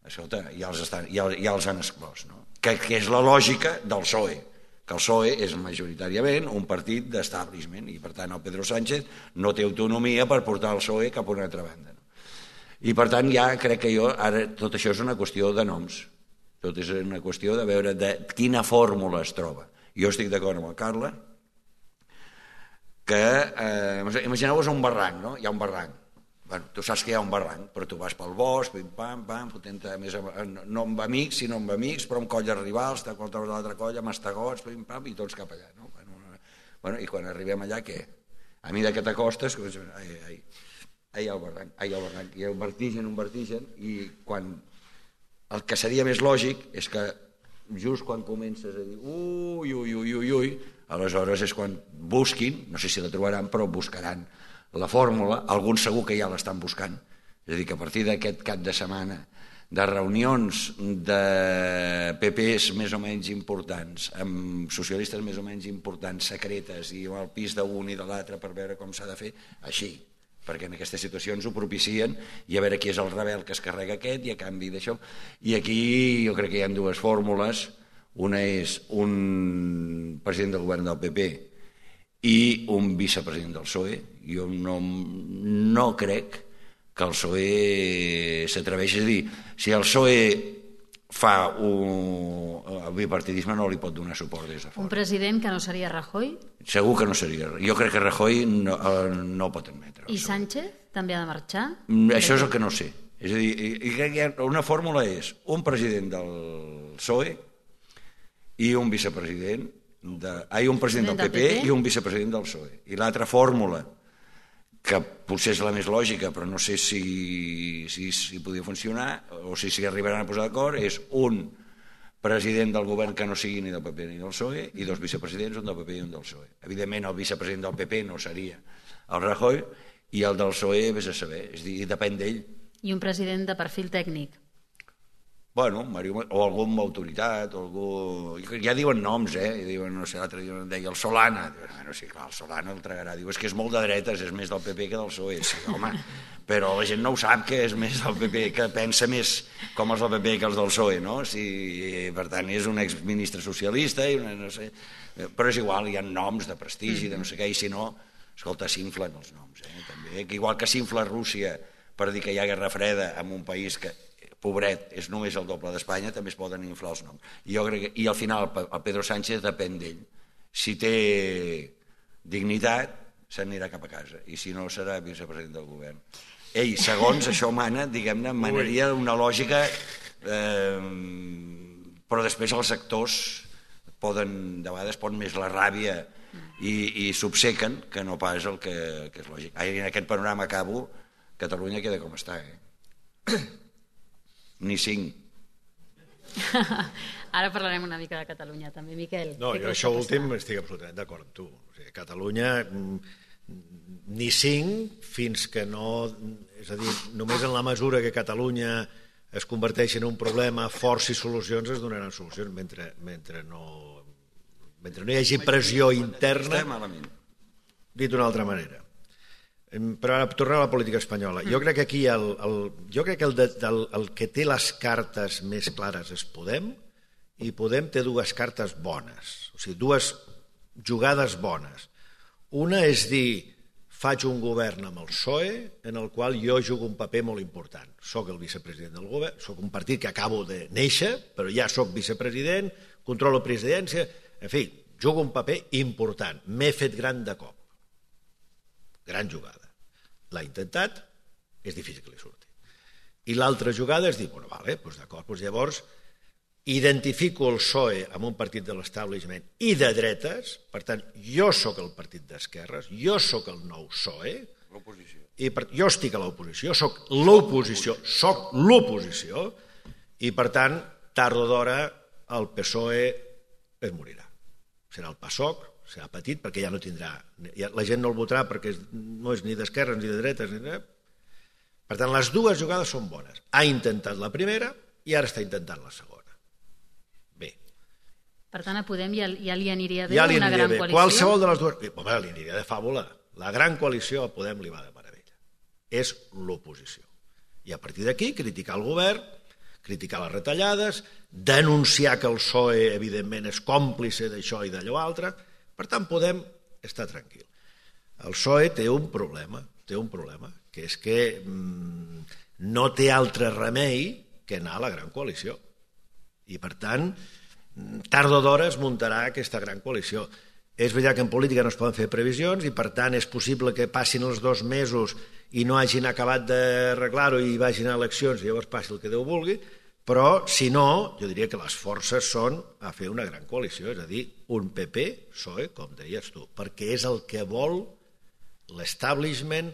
escolta, ja els, estan, ja, ja els han exclòs, no? Que, que és la lògica del P S O E, que el P S O E és majoritàriament un partit d'establishment i, per tant, el Pedro Sánchez no té autonomia per portar el P S O E cap a una altra banda. No? I, per tant, ja crec que jo, ara, tot això és una qüestió de noms, tot és una qüestió de veure de quina fórmula es troba. Jo estic d'acord amb el Carla, que, eh, imagineu-vos un barranc, no? Hi ha un barranc. Bueno, tu saps que hi ha un barranc, però tu vas pel bosc, pim, pam, pam, fotent més, no amb amics, sinó amb amics, però amb colles rivals, de l'altra colla, mastegots, pim, pam, i tots cap allà. No? Bueno, bueno, i quan arribem allà, què? A mi que t'acostes, ai, ai, ai, el barranc, ai, el barranc, i el vertigen, un vertigen, i quan el que seria més lògic és que just quan comences a dir ui, ui, ui, ui, ui, aleshores és quan busquin, no sé si la trobaran, però buscaran la fórmula, alguns segur que ja l'estan buscant, és a dir, que a partir d'aquest cap de setmana de reunions de P Pes més o menys importants, amb socialistes més o menys importants, secretes, i al pis d'un i de l'altre per veure com s'ha de fer, així, perquè en aquestes situacions ho propicien, i a veure qui és el rebel que es carrega aquest, i a canvi d'això. I aquí jo crec que hi ha dues fórmules, una és un president del govern del P P i un vicepresident del P S O E. Jo no, no crec que el P S O E s'atreveixi a dir, si el P S O E fa un, el bipartidisme no li pot donar suport des de fora. Un president que no seria Rajoy? Segur que no seria. Jo crec que Rajoy no, no pot admetre. I Sánchez també ha de marxar? Això és el que no sé. És a dir, i crec que hi ha una fórmula és un president del P S O E i un vicepresident de, ai, un president del P P i un vicepresident del P S O E. I l'altra fórmula, que potser és la més lògica, però no sé si, si, si podia funcionar, o si s'hi arribaran a posar d'acord, és un president del govern que no sigui ni del P P ni del P S O E i dos vicepresidents, un del P P i un del P S O E. Evidentment, el vicepresident del P P no seria el Rajoy i el del P S O E, vés a saber, és a dir, depèn d'ell. I un president de perfil tècnic? Bueno, o alguna autoritat, o algú... Ja diuen noms, eh? Diuen, no sé, l'altre dia em deia el Solana. Bueno, sí, clar, el Solana el tragarà. Diu, és que és molt de dretes, és més del P P que del P S O E. Sí, home, però la gent no ho sap que és més del P P, que pensa més com els del P P que els del P S O E, no? Sí, per tant, és un exministre socialista i una, no sé... Però és igual, hi ha noms de prestigi, de no sé què, i si no, escolta, s'inflen els noms, eh? També, que igual que s'infla Rússia per dir que hi ha guerra freda en un país que pobret, és només el doble d'Espanya, també es poden inflar els noms. I, jo crec que, i al final el Pedro Sánchez depèn d'ell. Si té dignitat, s'anirà cap a casa, i si no serà vicepresident del govern. Ell, segons això mana, diguem-ne, manaria una lògica, eh, però després els actors poden, de vegades pot més la ràbia i, i s'obcequen que no pas el que, que és lògic. I en aquest panorama acabo, Catalunya queda com està, eh? Ni cinc. Ara parlarem una mica de Catalunya, també. Miquel. No, jo això últim estic absolutament d'acord amb tu. O sigui, Catalunya ni cinc fins que no... És a dir, només en la mesura que Catalunya es converteixi en un problema, forci solucions, es donaran solucions. Mentre, mentre, no, mentre no hi hagi pressió interna, dit d'una altra manera. Però ara, tornar a la política espanyola. Jo crec que aquí el, el, jo crec que el, de, el, el que té les cartes més clares és Podem, i Podem té dues cartes bones, o sigui, dues jugades bones. Una és dir, faig un govern amb el P S O E en el qual jo jugo un paper molt important. Soc el vicepresident del govern, soc un partit que acabo de néixer, però ja soc vicepresident, controlo presidència, en fi, jugo un paper important. M'he fet gran de cop. Gran jugada. L'ha intentat, és difícil que li surti. I l'altra jugada és dir, bueno, vale, doncs d'acord, doncs llavors identifico el P S O E amb un partit de l'establishment i de dretes, per tant, jo sóc el partit d'esquerres, jo sóc el nou P S O E, i per, jo estic a l'oposició, sóc l'oposició, sóc l'oposició, i per tant, tard o d'hora, el P S O E es morirà. Serà el PASOK, serà petit perquè ja no tindrà, la gent no el votarà perquè no és ni d'esquerres ni de dretes, ni de... Per tant, les dues jugades són bones. Ha intentat la primera i ara està intentant la segona. Bé. Per tant, a Podem ja, ja li aniria bé ja li una aniria gran bé. coalició? Qualsevol de les dues... Home, li aniria de fàbula. La gran coalició a Podem li va de meravella. És l'oposició. I a partir d'aquí, criticar el govern, criticar les retallades, denunciar que el P S O E, evidentment, és còmplice d'això i d'allò altre. Per tant, Podem estar tranquil. El P S O E té un problema, té un problema, que és que mmm, no té altre remei que anar a la gran coalició. I, per tant, tard o d'hora es muntarà aquesta gran coalició. És veritat que en política no es poden fer previsions i, per tant, és possible que passin els dos mesos i no hagin acabat d'arreglar-ho i vagin a eleccions i llavors passi el que Déu vulgui, però, si no, jo diria que les forces són a fer una gran coalició, és a dir, un P P, P S O E, com deies tu, perquè és el que vol l'establishment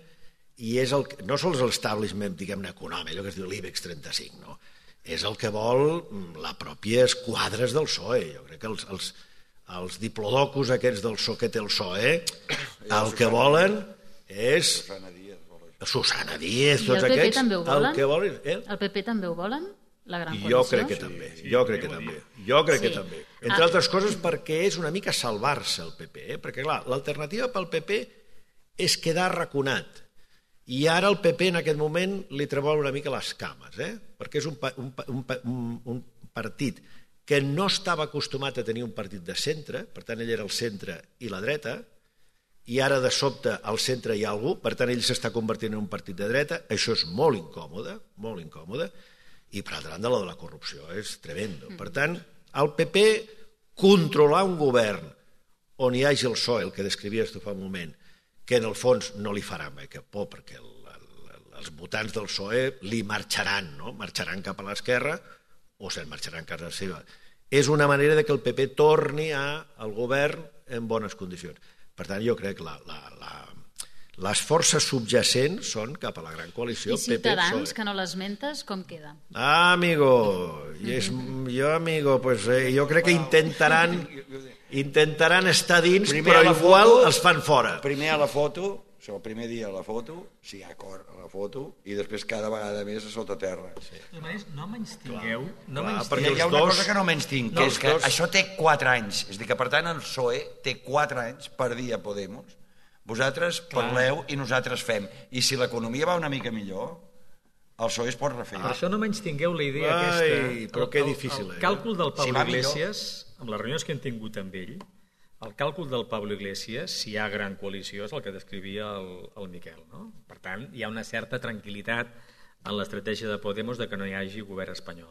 i és el que, no sols l'establishment, diguem-ne, econòmic, allò que es diu l'IBEX trenta-cinc, no? És el que vol la pròpia esquadres del P S O E. Jo crec que els, els, els diplodocus aquests del P S O E que té el P S O E, el que volen és... Susana Díaz, tots aquests... I el P P també ho volen? El, que volen, eh? el P P també ho volen? La gran coalició? Jo crec que també, jo crec que també. Jo crec que també. Entre altres coses perquè és una mica salvar-se el P P, eh? Perquè clar, l'alternativa pel P P és quedar arraconat. I ara el P P en aquest moment li tremol una mica les cames, eh? Perquè és un, un, un, un partit que no estava acostumat a tenir un partit de centre, per tant ell era el centre i la dreta, i ara de sobte al centre hi ha algú, per tant ell s'està convertint en un partit de dreta, això és molt incòmode, molt incòmode, i per altra banda la de la corrupció és tremendo. Per tant, el P P controlar un govern on hi hagi el P S O E, el que descrivies tu fa un moment, que en el fons no li farà mai cap por, perquè el, el, els votants del P S O E li marxaran, no? Marxaran cap a l'esquerra o se'n marxaran a casa seva. És una manera de que el P P torni al govern en bones condicions. Per tant, jo crec que la, la, la, les forces subjacents són cap a la gran coalició. I Ciutadans, que no l'esmentes, com queda? Ah, amigo, és, jo, amigo, pues, eh, jo crec que intentaran, intentaran estar dins, primer però igual foto, els fan fora. Primer a la foto, el primer dia a la foto, si hi ha acord a la foto, i després cada vegada més a sota terra. Sí. No menystingueu, no Clar, menystingueu. hi ha una dos... cosa que no menystinc, No, que és que dos... això té quatre anys. És a dir, que per tant el P S O E té quatre anys per dir a Podemos. Vosaltres Clar. parleu i nosaltres fem. I si l'economia va una mica millor, el P S O E es pot refer. Per això no menystingueu la idea Ai, aquesta. però el, que el, difícil, el, eh? el càlcul del Pablo Si Iglesias, amb les reunions que hem tingut amb ell, el càlcul del Pablo Iglesias, si hi ha gran coalició, és el que descrivia el, el Miquel. No? Per tant, hi ha una certa tranquil·litat en l'estratègia de Podemos de que no hi hagi govern espanyol.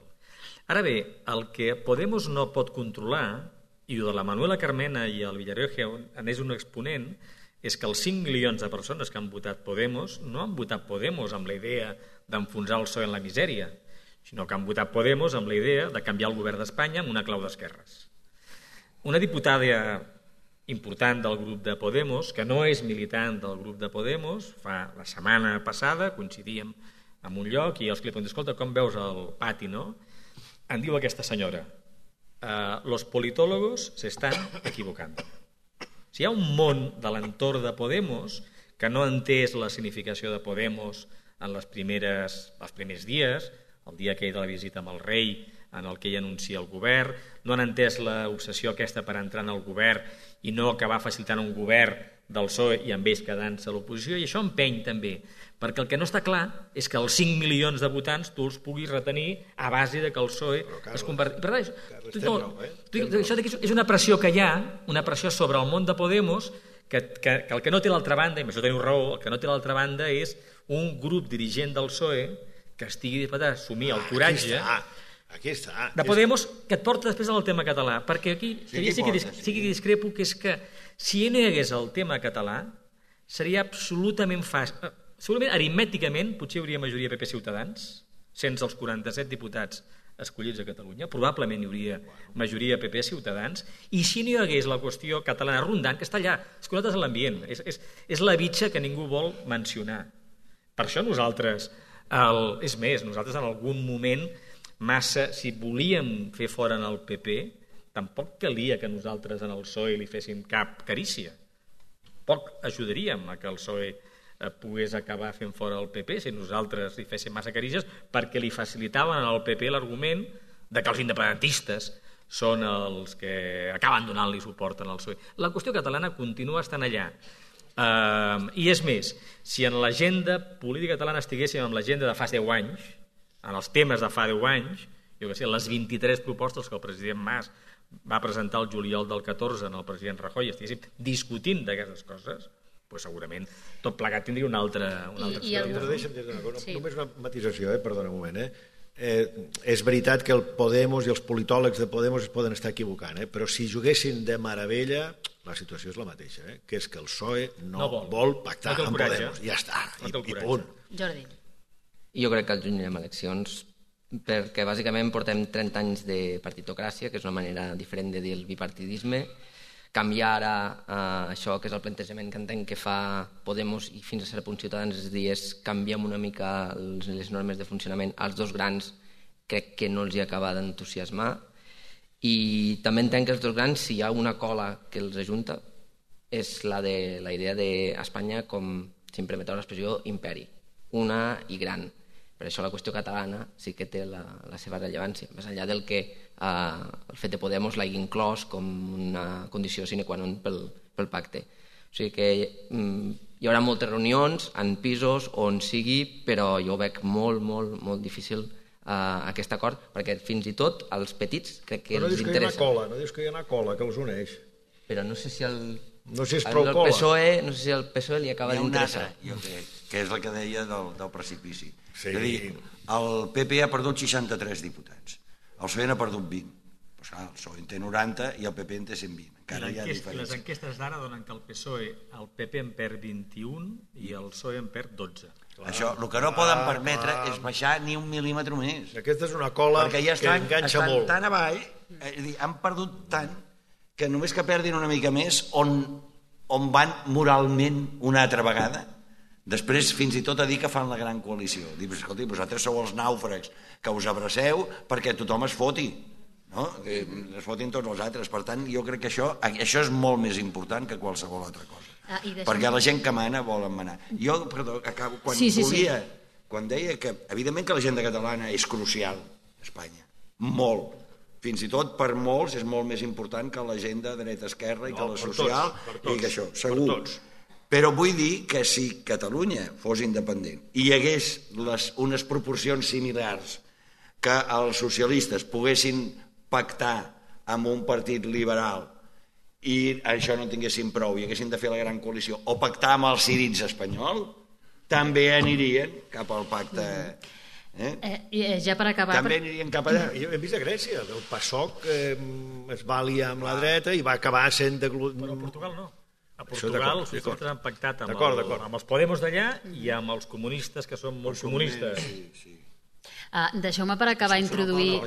Ara bé, el que Podemos no pot controlar, i de la Manuela Carmena i el Villarreal en és un exponent, és que els cinc milions de persones que han votat Podemos no han votat Podemos amb la idea d'enfonsar el P S O E en la misèria, sinó que han votat Podemos amb la idea de canviar el govern d'Espanya amb una clau d'esquerres. Una diputada important del grup de Podemos, que no és militant del grup de Podemos, fa la setmana passada, coincidíem en un lloc i els que li pregunten, escolta, com veus el pati, no? Em diu aquesta senyora, eh, los politólogos se están equivocando. Si hi ha un món de l'entorn de Podemos que no ha entès la significació de Podemos en les primeres, els primers dies, el dia aquell de la visita amb el rei, en el que ell anuncia el govern, no han entès l'obsessió aquesta per entrar en el govern i no acabar facilitant un govern del P S O E i amb ells quedant-se a l'oposició, i això empeny també, perquè el que no està clar és que els cinc milions de votants tu els puguis retenir a base de que el P S O E Carles, es converteixi. Per tant, Carles, tu, té raó, eh? tu, això és una pressió que hi ha, una pressió sobre el món de Podemos, que, que, que el que no té l'altra banda, i amb això teniu raó, el que no té l'altra banda és un grup dirigent del P S O E que estigui disposat a assumir el coratge Aquí està. de Podemos, que et porta després al tema català, perquè aquí Sí, sí, sí, que, dis, porta, sí. sí que discrepo, que és que si no hi hagués el tema català seria absolutament fàcil, segurament aritmèticament potser hi hauria majoria P P Ciutadans sense els quaranta-set diputats escollits a Catalunya, probablement hi hauria majoria P P Ciutadans, i si no hi hagués la qüestió catalana rondant, que està allà, és que nosaltres en l'ambient, és, és, és la bitxa que ningú vol mencionar. Per això nosaltres, el, és més, nosaltres en algun moment massa, si volíem fer fora en el P P, tampoc calia que nosaltres en el P S O E li féssim cap carícia. Poc ajudaríem a que el P S O E pogués acabar fent fora el P P si nosaltres li féssim massa carícies, perquè li facilitaven al P P l'argument de que els independentistes són els que acaben donant-li suport al P S O E. La qüestió catalana continua estant allà. Uh, I és més, si en l'agenda política catalana estiguéssim en l'agenda de fa deu anys, en els temes de fa deu anys, jo que sé, les vint-i-tres propostes que el president Mas va presentar el juliol del catorze en el president Rajoy, estiguéssim discutint d'aquestes coses, doncs segurament tot plegat tindria una altra, una altra I, i el... Però deixa'm dir una cosa, Sí. només una matisació, eh? Perdona un moment. Eh? Eh, és veritat que el Podemos i els politòlegs de Podemos es poden estar equivocant, eh? Però si juguessin de meravella, la situació és la mateixa, eh? Que és que el P S O E no, No vol. vol pactar No té el amb coratge. Podemos. Ja està, No i, té el i coratge. punt. Jordi. Jo crec que al juny anirem a eleccions perquè bàsicament portem trenta anys de partitocràcia, que és una manera diferent de dir el bipartidisme. Canviar ara eh, això, que és el plantejament que entenc que fa Podemos i fins a cert punt Ciutadans, és a dir, és canviem una mica els, les normes de funcionament als dos grans, crec que no els hi acaba d'entusiasmar. I també entenc que els dos grans, si hi ha una cola que els ajunta, és la, de, la idea d'Espanya com, si em permeteu l'expressió, imperi, una i gran. Per això la qüestió catalana sí que té la, la seva rellevància, més enllà del que eh, el fet de Podemos l'hagi inclòs com una condició sine qua non pel, pel pacte. O sigui que mm, hi haurà moltes reunions en pisos on sigui, però jo veig molt, molt, molt difícil eh, aquest acord, perquè fins i tot als petits crec que Però no els dius que hi ha una interessa. cola, no dius que hi ha una cola que els uneix. Però no sé si el... No sé si és el prou del cola. P S O E, no sé si el P S O E li acaba Hi ha un d'interessar. altre, jo crec, que és el que deia del, del precipici. Sí. És a dir, el P P ha perdut seixanta-tres diputats, el P S O E n'ha perdut vint. Pues, clar, el P S O E en té noranta i el P P en té cent vint. Encara hi ha les diferència. enquestes d'ara donen que el P S O E, el P P en perd vint-i-un i el P S O E en perd dotze. Això, el que no poden permetre és baixar ni un mil·límetre més. Aquesta és una cola Perquè ja que estan, enganxa estan molt. tan avall, és a dir, han perdut tant que només que perdin una mica més on, on van moralment una altra vegada. Després fins i tot a dir que fan la gran coalició. Dir, escolti, vosaltres sou els nàufrags que us abraceu perquè tothom es foti, no? Que es fotin tots els altres. Per tant, jo crec que això, això és molt més important que qualsevol altra cosa. Ah, i deixa'm- Perquè la gent que mana volen manar. Jo, perdó, acabo, quan Sí, sí, sí. volia, quan deia que, evidentment que l'agenda catalana és crucial a Espanya, molt. Fins i tot per molts és molt més important que l'agenda dreta-esquerra i que No, la per social tots, per tots, i que això, per segur. tots. Però vull dir que si Catalunya fos independent i hi hagués les, unes proporcions similars que els socialistes poguessin pactar amb un partit liberal i això no tinguessin prou i haguessin de fer la gran coalició o pactar amb els círics espanyol, també anirien cap al pacte... Eh? Eh, i, eh, ja per acabar... També anirien cap allà. Jo hem vist a Grècia, el PASOK eh, es va aliar amb la dreta i va acabar sent... De... Però a Portugal no. A Això Portugal d'acord, els socialistes han pactat amb, D'acord, el, d'acord. amb els Podemos d'allà i amb els comunistes, que són molt comunistes. Sí, sí. Uh, Deixeu-me per acabar introduir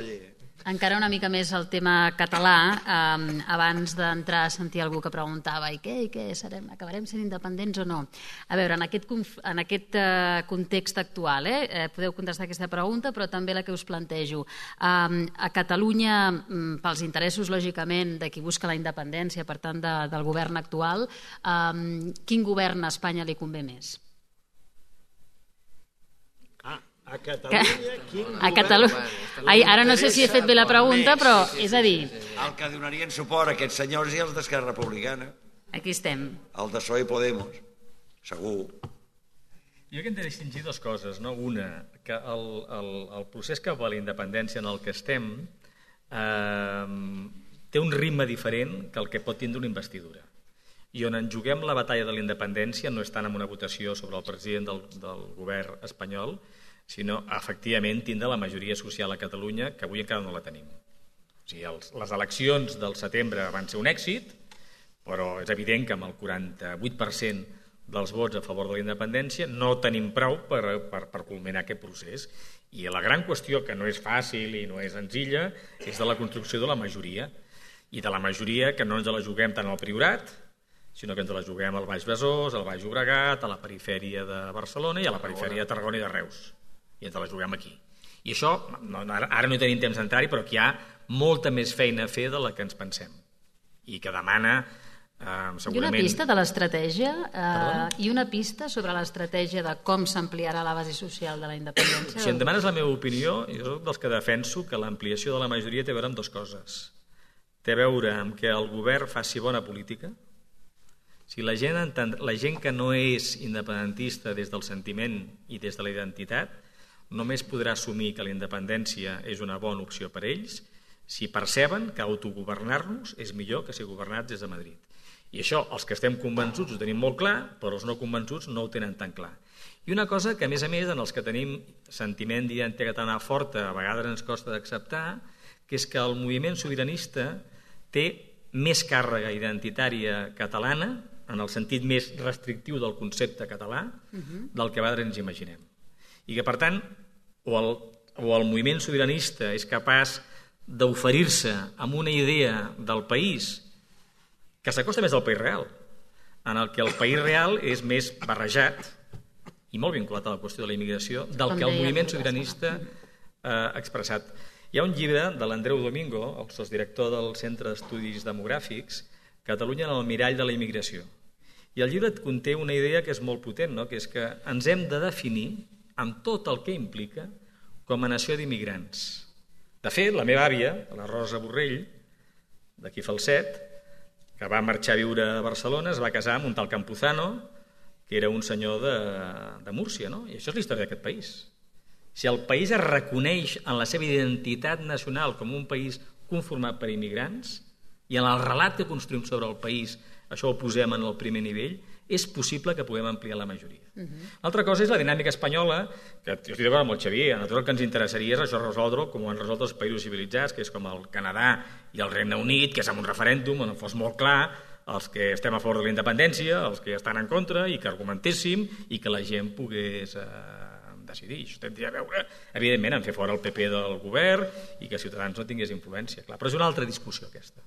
encara una mica més el tema català, um, abans d'entrar a sentir algú que preguntava i què, i què, serem, acabarem sent independents o no? A veure, en aquest, conf- en aquest uh, context actual, eh, eh, podeu contestar aquesta pregunta, però també la que us plantejo. Um, a Catalunya, um, pels interessos, lògicament, de qui busca la independència, per tant, de, del govern actual, um, quin govern a Espanya li convé més? Ah, A Catalunya, quin A Catalunya... Ai, ara no sé si he fet bé la pregunta, però és a dir... El que donarien suport a aquests senyors i els d'Esquerra Republicana. Aquí estem. El de P S O E i Podemos, segur. Jo crec que hem de distingir dues coses, no? Una, que el, el, el procés cap a la independència en el que estem eh, té un ritme diferent que el que pot tindre una investidura. I on en juguem la batalla de la independència no és tant en una votació sobre el president del, del govern espanyol, sinó, efectivament, tindre la majoria social a Catalunya, que avui encara no la tenim. O sigui, els, les eleccions del setembre van ser un èxit, però és evident que amb el quaranta-vuit per cent dels vots a favor de la independència no tenim prou per, per, per culminar aquest procés. I la gran qüestió, que no és fàcil i no és senzilla, és de la construcció de la majoria. I de la majoria que no ens la juguem tant al Priorat, sinó que ens la juguem al Baix Besòs, al Baix Llobregat, a la perifèria de Barcelona i a la perifèria de Tarragona i de Reus. I ens la juguem aquí. I això, no, ara no hi tenim temps d'entrar-hi, però que hi ha molta més feina a fer de la que ens pensem. I que demana, eh, segurament... I una pista de l'estratègia, eh, i una pista sobre l'estratègia de com s'ampliarà la base social de la independència. Si em demanes la meva opinió, jo soc dels que defenso que l'ampliació de la majoria té a veure amb dues coses. Té a veure amb que el govern faci bona política. Si la gent, la gent que no és independentista des del sentiment i des de la identitat només podrà assumir que la independència és una bona opció per a ells si perceben que autogovernar-nos és millor que ser governats des de Madrid. I això, els que estem convençuts ho tenim molt clar, però els no convençuts no ho tenen tan clar. I una cosa que, a més a més, en els que tenim sentiment d'identitat catalana forta, a vegades ens costa d'acceptar, que és que el moviment sobiranista té més càrrega identitària catalana, en el sentit més restrictiu del concepte català, del que a vegades ens imaginem. I que, per tant, o el, o el moviment sobiranista és capaç d'oferir-se amb una idea del país que s'acosta més al país real, en el que el país real és més barrejat i molt vinculat a la qüestió de la immigració del que el moviment sobiranista ha expressat. Hi ha un llibre de l'Andreu Domingo, el sotsdirector del Centre d'Estudis Demogràfics, Catalunya en el mirall de la immigració. I el llibre conté una idea que és molt potent, no? Que és que ens hem de definir amb tot el que implica com a nació d'immigrants. De fet, la meva àvia, la Rosa Borrell, d'aquí Falset, que va marxar a viure a Barcelona, es va casar amb un tal Campuzano, que era un senyor de, de Múrcia, no? I això és la història d'aquest país. Si el país es reconeix en la seva identitat nacional com un país conformat per immigrants, i en el relat que construïm sobre el país això ho posem en el primer nivell, és possible que puguem ampliar la majoria. Uh-huh. L'altra cosa és la dinàmica espanyola, que jo estic d'acord amb el Xavier, a nosaltres el que ens interessaria és això resoldre com ho han resolt els països civilitzats, que és com el Canadà i el Regne Unit, que és amb un referèndum on fos molt clar els que estem a favor de la independència, els que estan en contra, i que argumentéssim i que la gent pogués eh, decidir. Això tindria a veure, evidentment, en fer fora el P P del govern i que Ciutadans no tingués influència. Clar, però és una altra discussió, aquesta.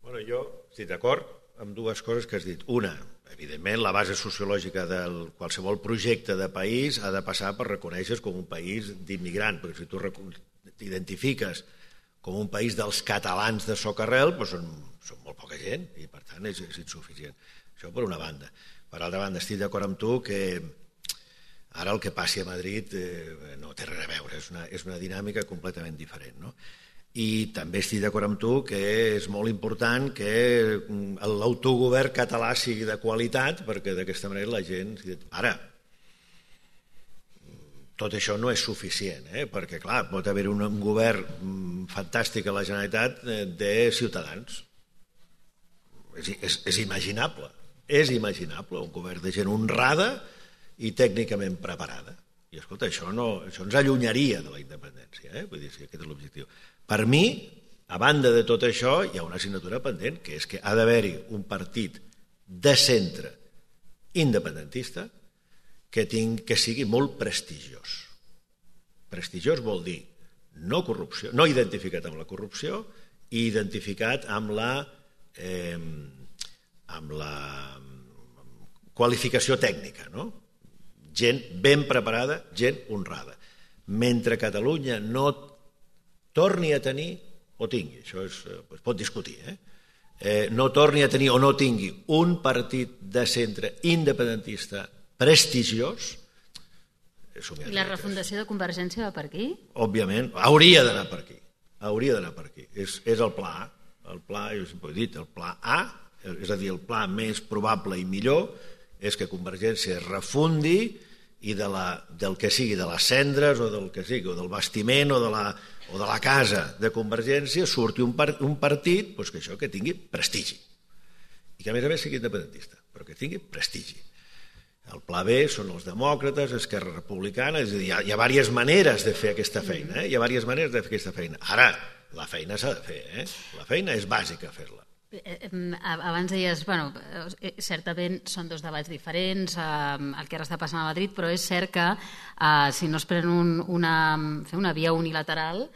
Bueno, jo estic d'acord amb dues coses que has dit. Una, evidentment, la base sociològica de qualsevol projecte de país ha de passar per reconèixer com un país d'immigrant, perquè si tu t'identifiques com un país dels catalans de socarrel, doncs són, són molt poca gent i, per tant, és, és insuficient. Això per una banda. Per altra banda, estic d'acord amb tu que ara el que passi a Madrid eh, no té res a veure, és una, és una dinàmica completament diferent, no? I també estic d'acord amb tu que és molt important que l'autogovern català sigui de qualitat, perquè d'aquesta manera la gent... Ara, tot això no és suficient, eh? Perquè, clar, pot haver un, un govern fantàstic a la Generalitat de Ciutadans. És, és, és imaginable, és imaginable, un govern de gent honrada i tècnicament preparada. I, escolta, això, no, això ens allunyaria de la independència, eh? Vull dir, si aquest és l'objectiu. Per mi, a banda de tot això, hi ha una assignatura pendent, que és que ha d'haver-hi un partit de centre independentista que, ting, que sigui molt prestigiós. Prestigiós vol dir no corrupció, no identificat amb la corrupció i identificat amb la, eh, amb la qualificació tècnica, no? Gent ben preparada, gent honrada. Mentre Catalunya no torni a tenir, o tingui, això es, es pot discutir, eh? Eh, no torni a tenir o no tingui un partit de centre independentista prestigiós, somiar I la refundació de Convergència va per aquí? Òbviament, hauria d'anar per aquí. Hauria d'anar per aquí. És, és el pla A. El pla, jo sempre ho he dit, el pla A, és a dir, el pla més probable i millor és que Convergència es refundi i de la, del que sigui, de les cendres o del que sigui, o del bastiment o de la, o de la casa de Convergència surti un, par, un partit doncs que això que tingui prestigi. I que a més a més sigui independentista, però que tingui prestigi. El pla B són els demòcrates, Esquerra Republicana, és a dir, hi ha, hi ha diverses maneres de fer aquesta feina, eh? hi ha diverses maneres de fer aquesta feina. Ara, la feina s'ha de fer, eh? La feina és bàsica fer-la. Abans deies, bueno, certament són dos debats diferents, el que ara està passant a Madrid, però és cert que si no es pren una, una via unilateral,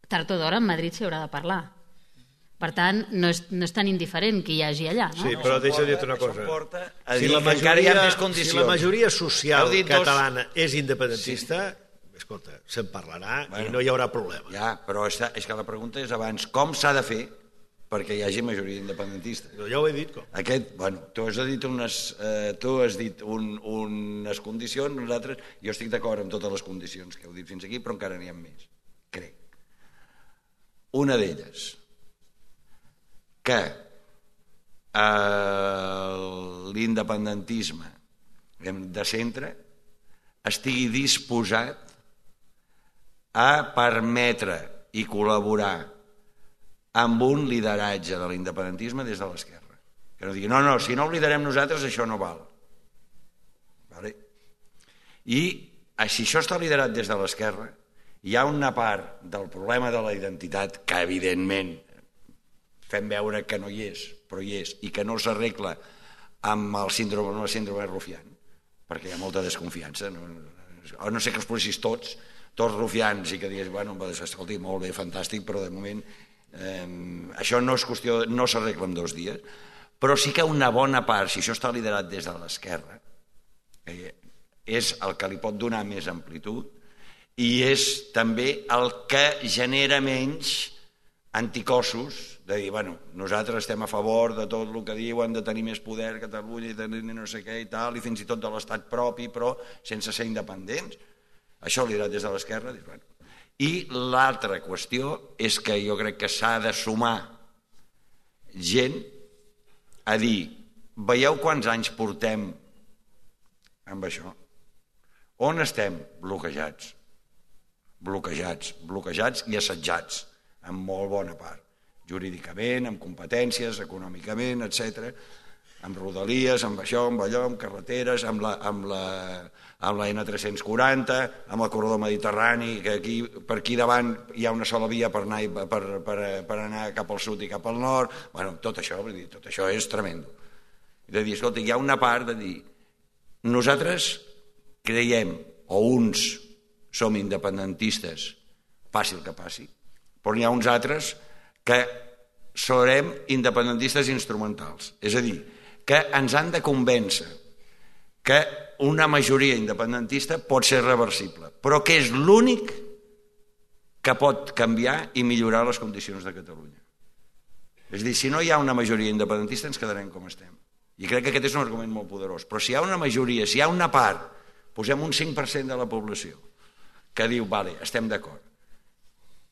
tard o d'hora en Madrid s'hi haurà de parlar. Per tant, no és, no és tan indiferent que hi hagi allà, no? Sí, però deixa de dir-te una cosa. Si la, majoria, si la majoria social catalana és independentista, escolta, se'n parlarà i no hi haurà problema. Ja, però és que la pregunta és abans, com s'ha de fer perquè hi hagi majoria independentista? Ja ho he dit, com. Aquest, bueno, tu has dit unes, eh, tu has dit un, unes condicions, nosaltres, jo estic d'acord amb totes les condicions que heu dit fins aquí, però encara n'hi ha més, crec. Una d'elles, que eh, l'independentisme de centre estigui disposat a permetre i col·laborar amb un lideratge de l'independentisme des de l'esquerra. Que no digui, no, no, si no ho liderem nosaltres, això no val. Vale? I si això està liderat des de l'esquerra, hi ha una part del problema de la identitat que, evidentment, fem veure que no hi és, però hi és, i que no s'arregla amb el síndrome, amb la síndrome de Rufián, perquè hi ha molta desconfiança. No, no sé que els policis tots, tots rufians, i que digués, bueno, escolti, molt bé, fantàstic, però de moment eh, això no és qüestió, no s'arregla en dos dies, però sí que una bona part, si això està liderat des de l'esquerra, eh, és el que li pot donar més amplitud i és també el que genera menys anticossos de dir, bueno, nosaltres estem a favor de tot el que diuen, de tenir més poder a Catalunya i tenir no sé què i tal, i fins i tot de l'estat propi, però sense ser independents. Això ho liderat des de l'esquerra. Bueno. I l'altra qüestió és que jo crec que s'ha de sumar gent a dir, veieu quants anys portem amb això? On estem? Bloquejats. Bloquejats, bloquejats i assetjats, en molt bona part. Jurídicament, amb competències, econòmicament, etcètera, amb rodalies, amb això, amb allò, amb carreteres, amb la, amb la, amb la ene tres-cents quaranta, amb el corredor mediterrani, que aquí, per aquí davant hi ha una sola via per anar, per, per, per anar cap al sud i cap al nord. Bueno, tot això, vull dir, tot això és tremendo. I de dir, escolta, hi ha una part de dir, nosaltres creiem, o uns som independentistes, passi el que passi, però n'hi ha uns altres que serem independentistes instrumentals. És a dir, que ens han de convèncer que una majoria independentista pot ser reversible, però que és l'únic que pot canviar i millorar les condicions de Catalunya. És a dir, si no hi ha una majoria independentista ens quedarem com estem. I crec que aquest és un argument molt poderós. Però si hi ha una majoria, si hi ha una part, posem un cinc per cent de la població, que diu, vale, estem d'acord,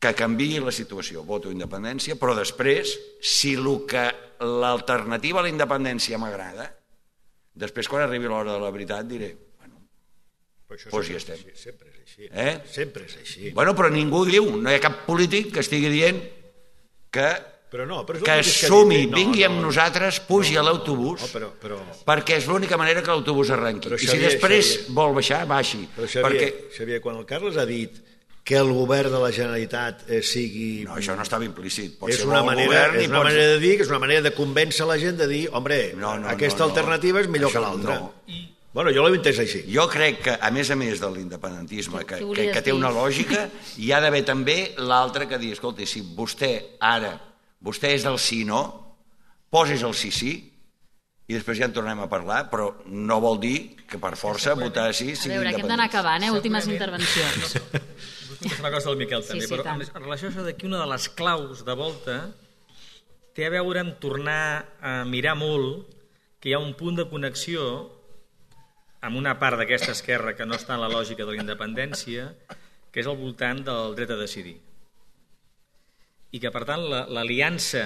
que canviï la situació, voto independència, però després, si l'alternativa a la independència m'agrada, després quan arribi l'hora de la veritat diré, bueno, doncs hi estem. Sempre és així. Eh? Sempre és així. Bueno, però ningú diu, no hi ha cap polític que estigui dient que, però no, però que es sumi, no, vingui amb no, nosaltres, pugi no, a l'autobús, no, però, però... perquè és l'única manera que l'autobús arrenqui. Però, Xavier, I si després Xavier, vol baixar, baixi. Però Xavier, perquè... Xavier, quan el Carles ha dit que el govern de la Generalitat eh, sigui... No, això no estava implícit. Pot és ser una, manera, govern, és una pot... manera de dir, que és una manera de convèncer la gent de dir, hombre, no, no, aquesta no, alternativa no. és millor això que l'altra. No. I... Bueno, jo l'he entès així. Jo crec que, a més a més de l'independentisme, que, que, que té una lògica, hi ha d'haver també l'altre que dir, escolta, si vostè ara, vostè és del sí-no, posis el sí-sí, i després ja en tornem a parlar, però no vol dir que per força votar sí sigui independent. A veure, que hem d'anar acabant, eh? Últimes intervencions. Vull contestar una cosa del Miquel també, sí, sí, però en relació a això que una de les claus de volta té a veure amb tornar a mirar molt que hi ha un punt de connexió amb una part d'aquesta esquerra que no està en la lògica de la independència, que és al voltant del dret a decidir. I que, per tant, l'aliança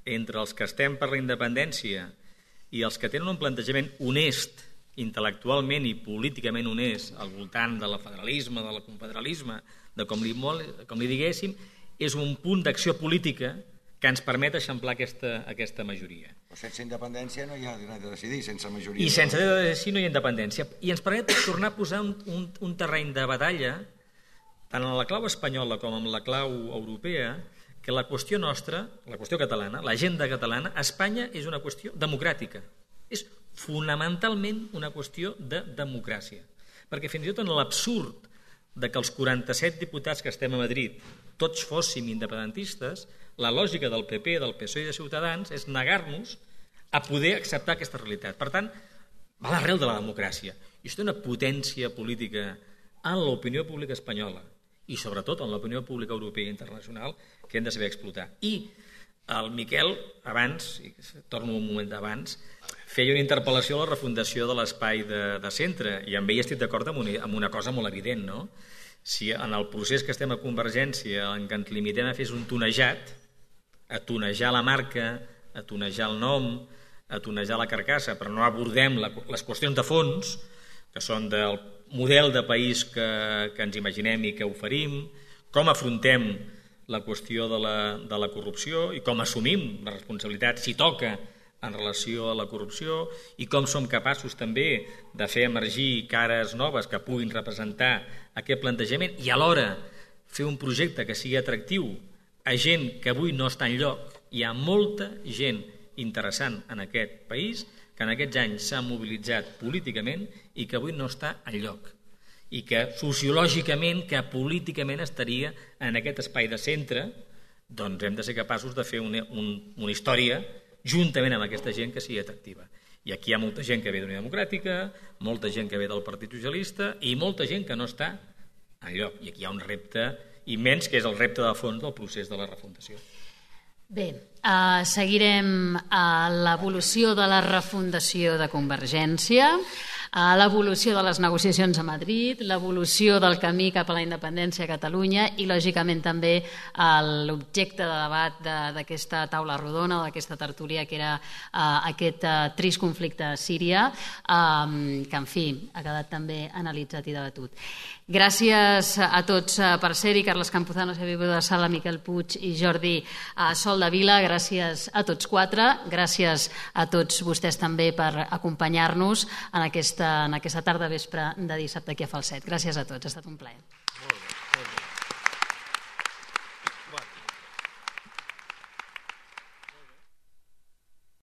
entre els que estem per la independència i els que tenen un plantejament honest, intel·lectualment i políticament honest, al voltant del federalisme, del confederalisme, de com li, com li diguéssim, és un punt d'acció política que ens permet eixamplar aquesta, aquesta majoria. Però sense independència no hi ha dret a decidir, sense majoria. I sense dret a decidir no hi ha independència. I ens permet tornar a posar un, un, un terreny de batalla, tant en la clau espanyola com en la clau europea, que la qüestió nostra, la qüestió catalana, l'agenda catalana, a Espanya és una qüestió democràtica. És fonamentalment una qüestió de democràcia. Perquè fins i tot en l'absurd de que els quaranta-set diputats que estem a Madrid tots fóssim independentistes, la lògica del P P, del P S O i de Ciutadans és negar-nos a poder acceptar aquesta realitat. Per tant, va a l'arrel de la democràcia. I això té una potència política en l'opinió pública espanyola i sobretot en l'opinió pública europea i internacional que hem de saber explotar. I el Miquel, abans, i torno un moment d'abans, feia una interpel·lació a la refundació de l'espai de, de centre, i amb ell estic d'acord amb, una, amb una cosa molt evident, no? Si en el procés que estem a Convergència en què ens limitem a fer és un tonejat, a tonejar la marca, a tonejar el nom, a tonejar la carcassa, però no abordem la, les qüestions de fons, que són del model de país que, que ens imaginem i que oferim, com afrontem la qüestió de la, de la corrupció i com assumim la responsabilitat, si toca, en relació a la corrupció, i com som capaços també de fer emergir cares noves que puguin representar aquest plantejament i alhora fer un projecte que sigui atractiu a gent que avui no està enlloc. Hi ha molta gent interessant en aquest país que en aquests anys s'ha mobilitzat políticament i que avui no està enlloc. I que sociològicament, que políticament estaria en aquest espai de centre, doncs hem de ser capaços de fer una, un, una història juntament amb aquesta gent que sigui atractiva. I aquí hi ha molta gent que ve d'Unió Democràtica, molta gent que ve del Partit Socialista i molta gent que no està enlloc. I aquí hi ha un repte immens, que és el repte de fons del procés de la refundació. Bé, uh, seguirem uh, l'evolució de la refundació de Convergència, uh, l'evolució de les negociacions a Madrid, l'evolució del camí cap a la independència a Catalunya i, lògicament, també uh, l'objecte de debat d'aquesta taula rodona, d'aquesta tertúlia, que era uh, aquest uh, trist conflicte a Síria, um, que, en fi, ha quedat també analitzat i debatut. Gràcies a tots per ser-hi, Carles Campuzano, Xavier Budó de Sala, Miquel Puig i Jordi Sol de Vila. Gràcies a tots quatre, gràcies a tots vostès també per acompanyar-nos en aquesta, en aquesta tarda vespre de dissabte aquí a Falset. Gràcies a tots, ha estat un plaer.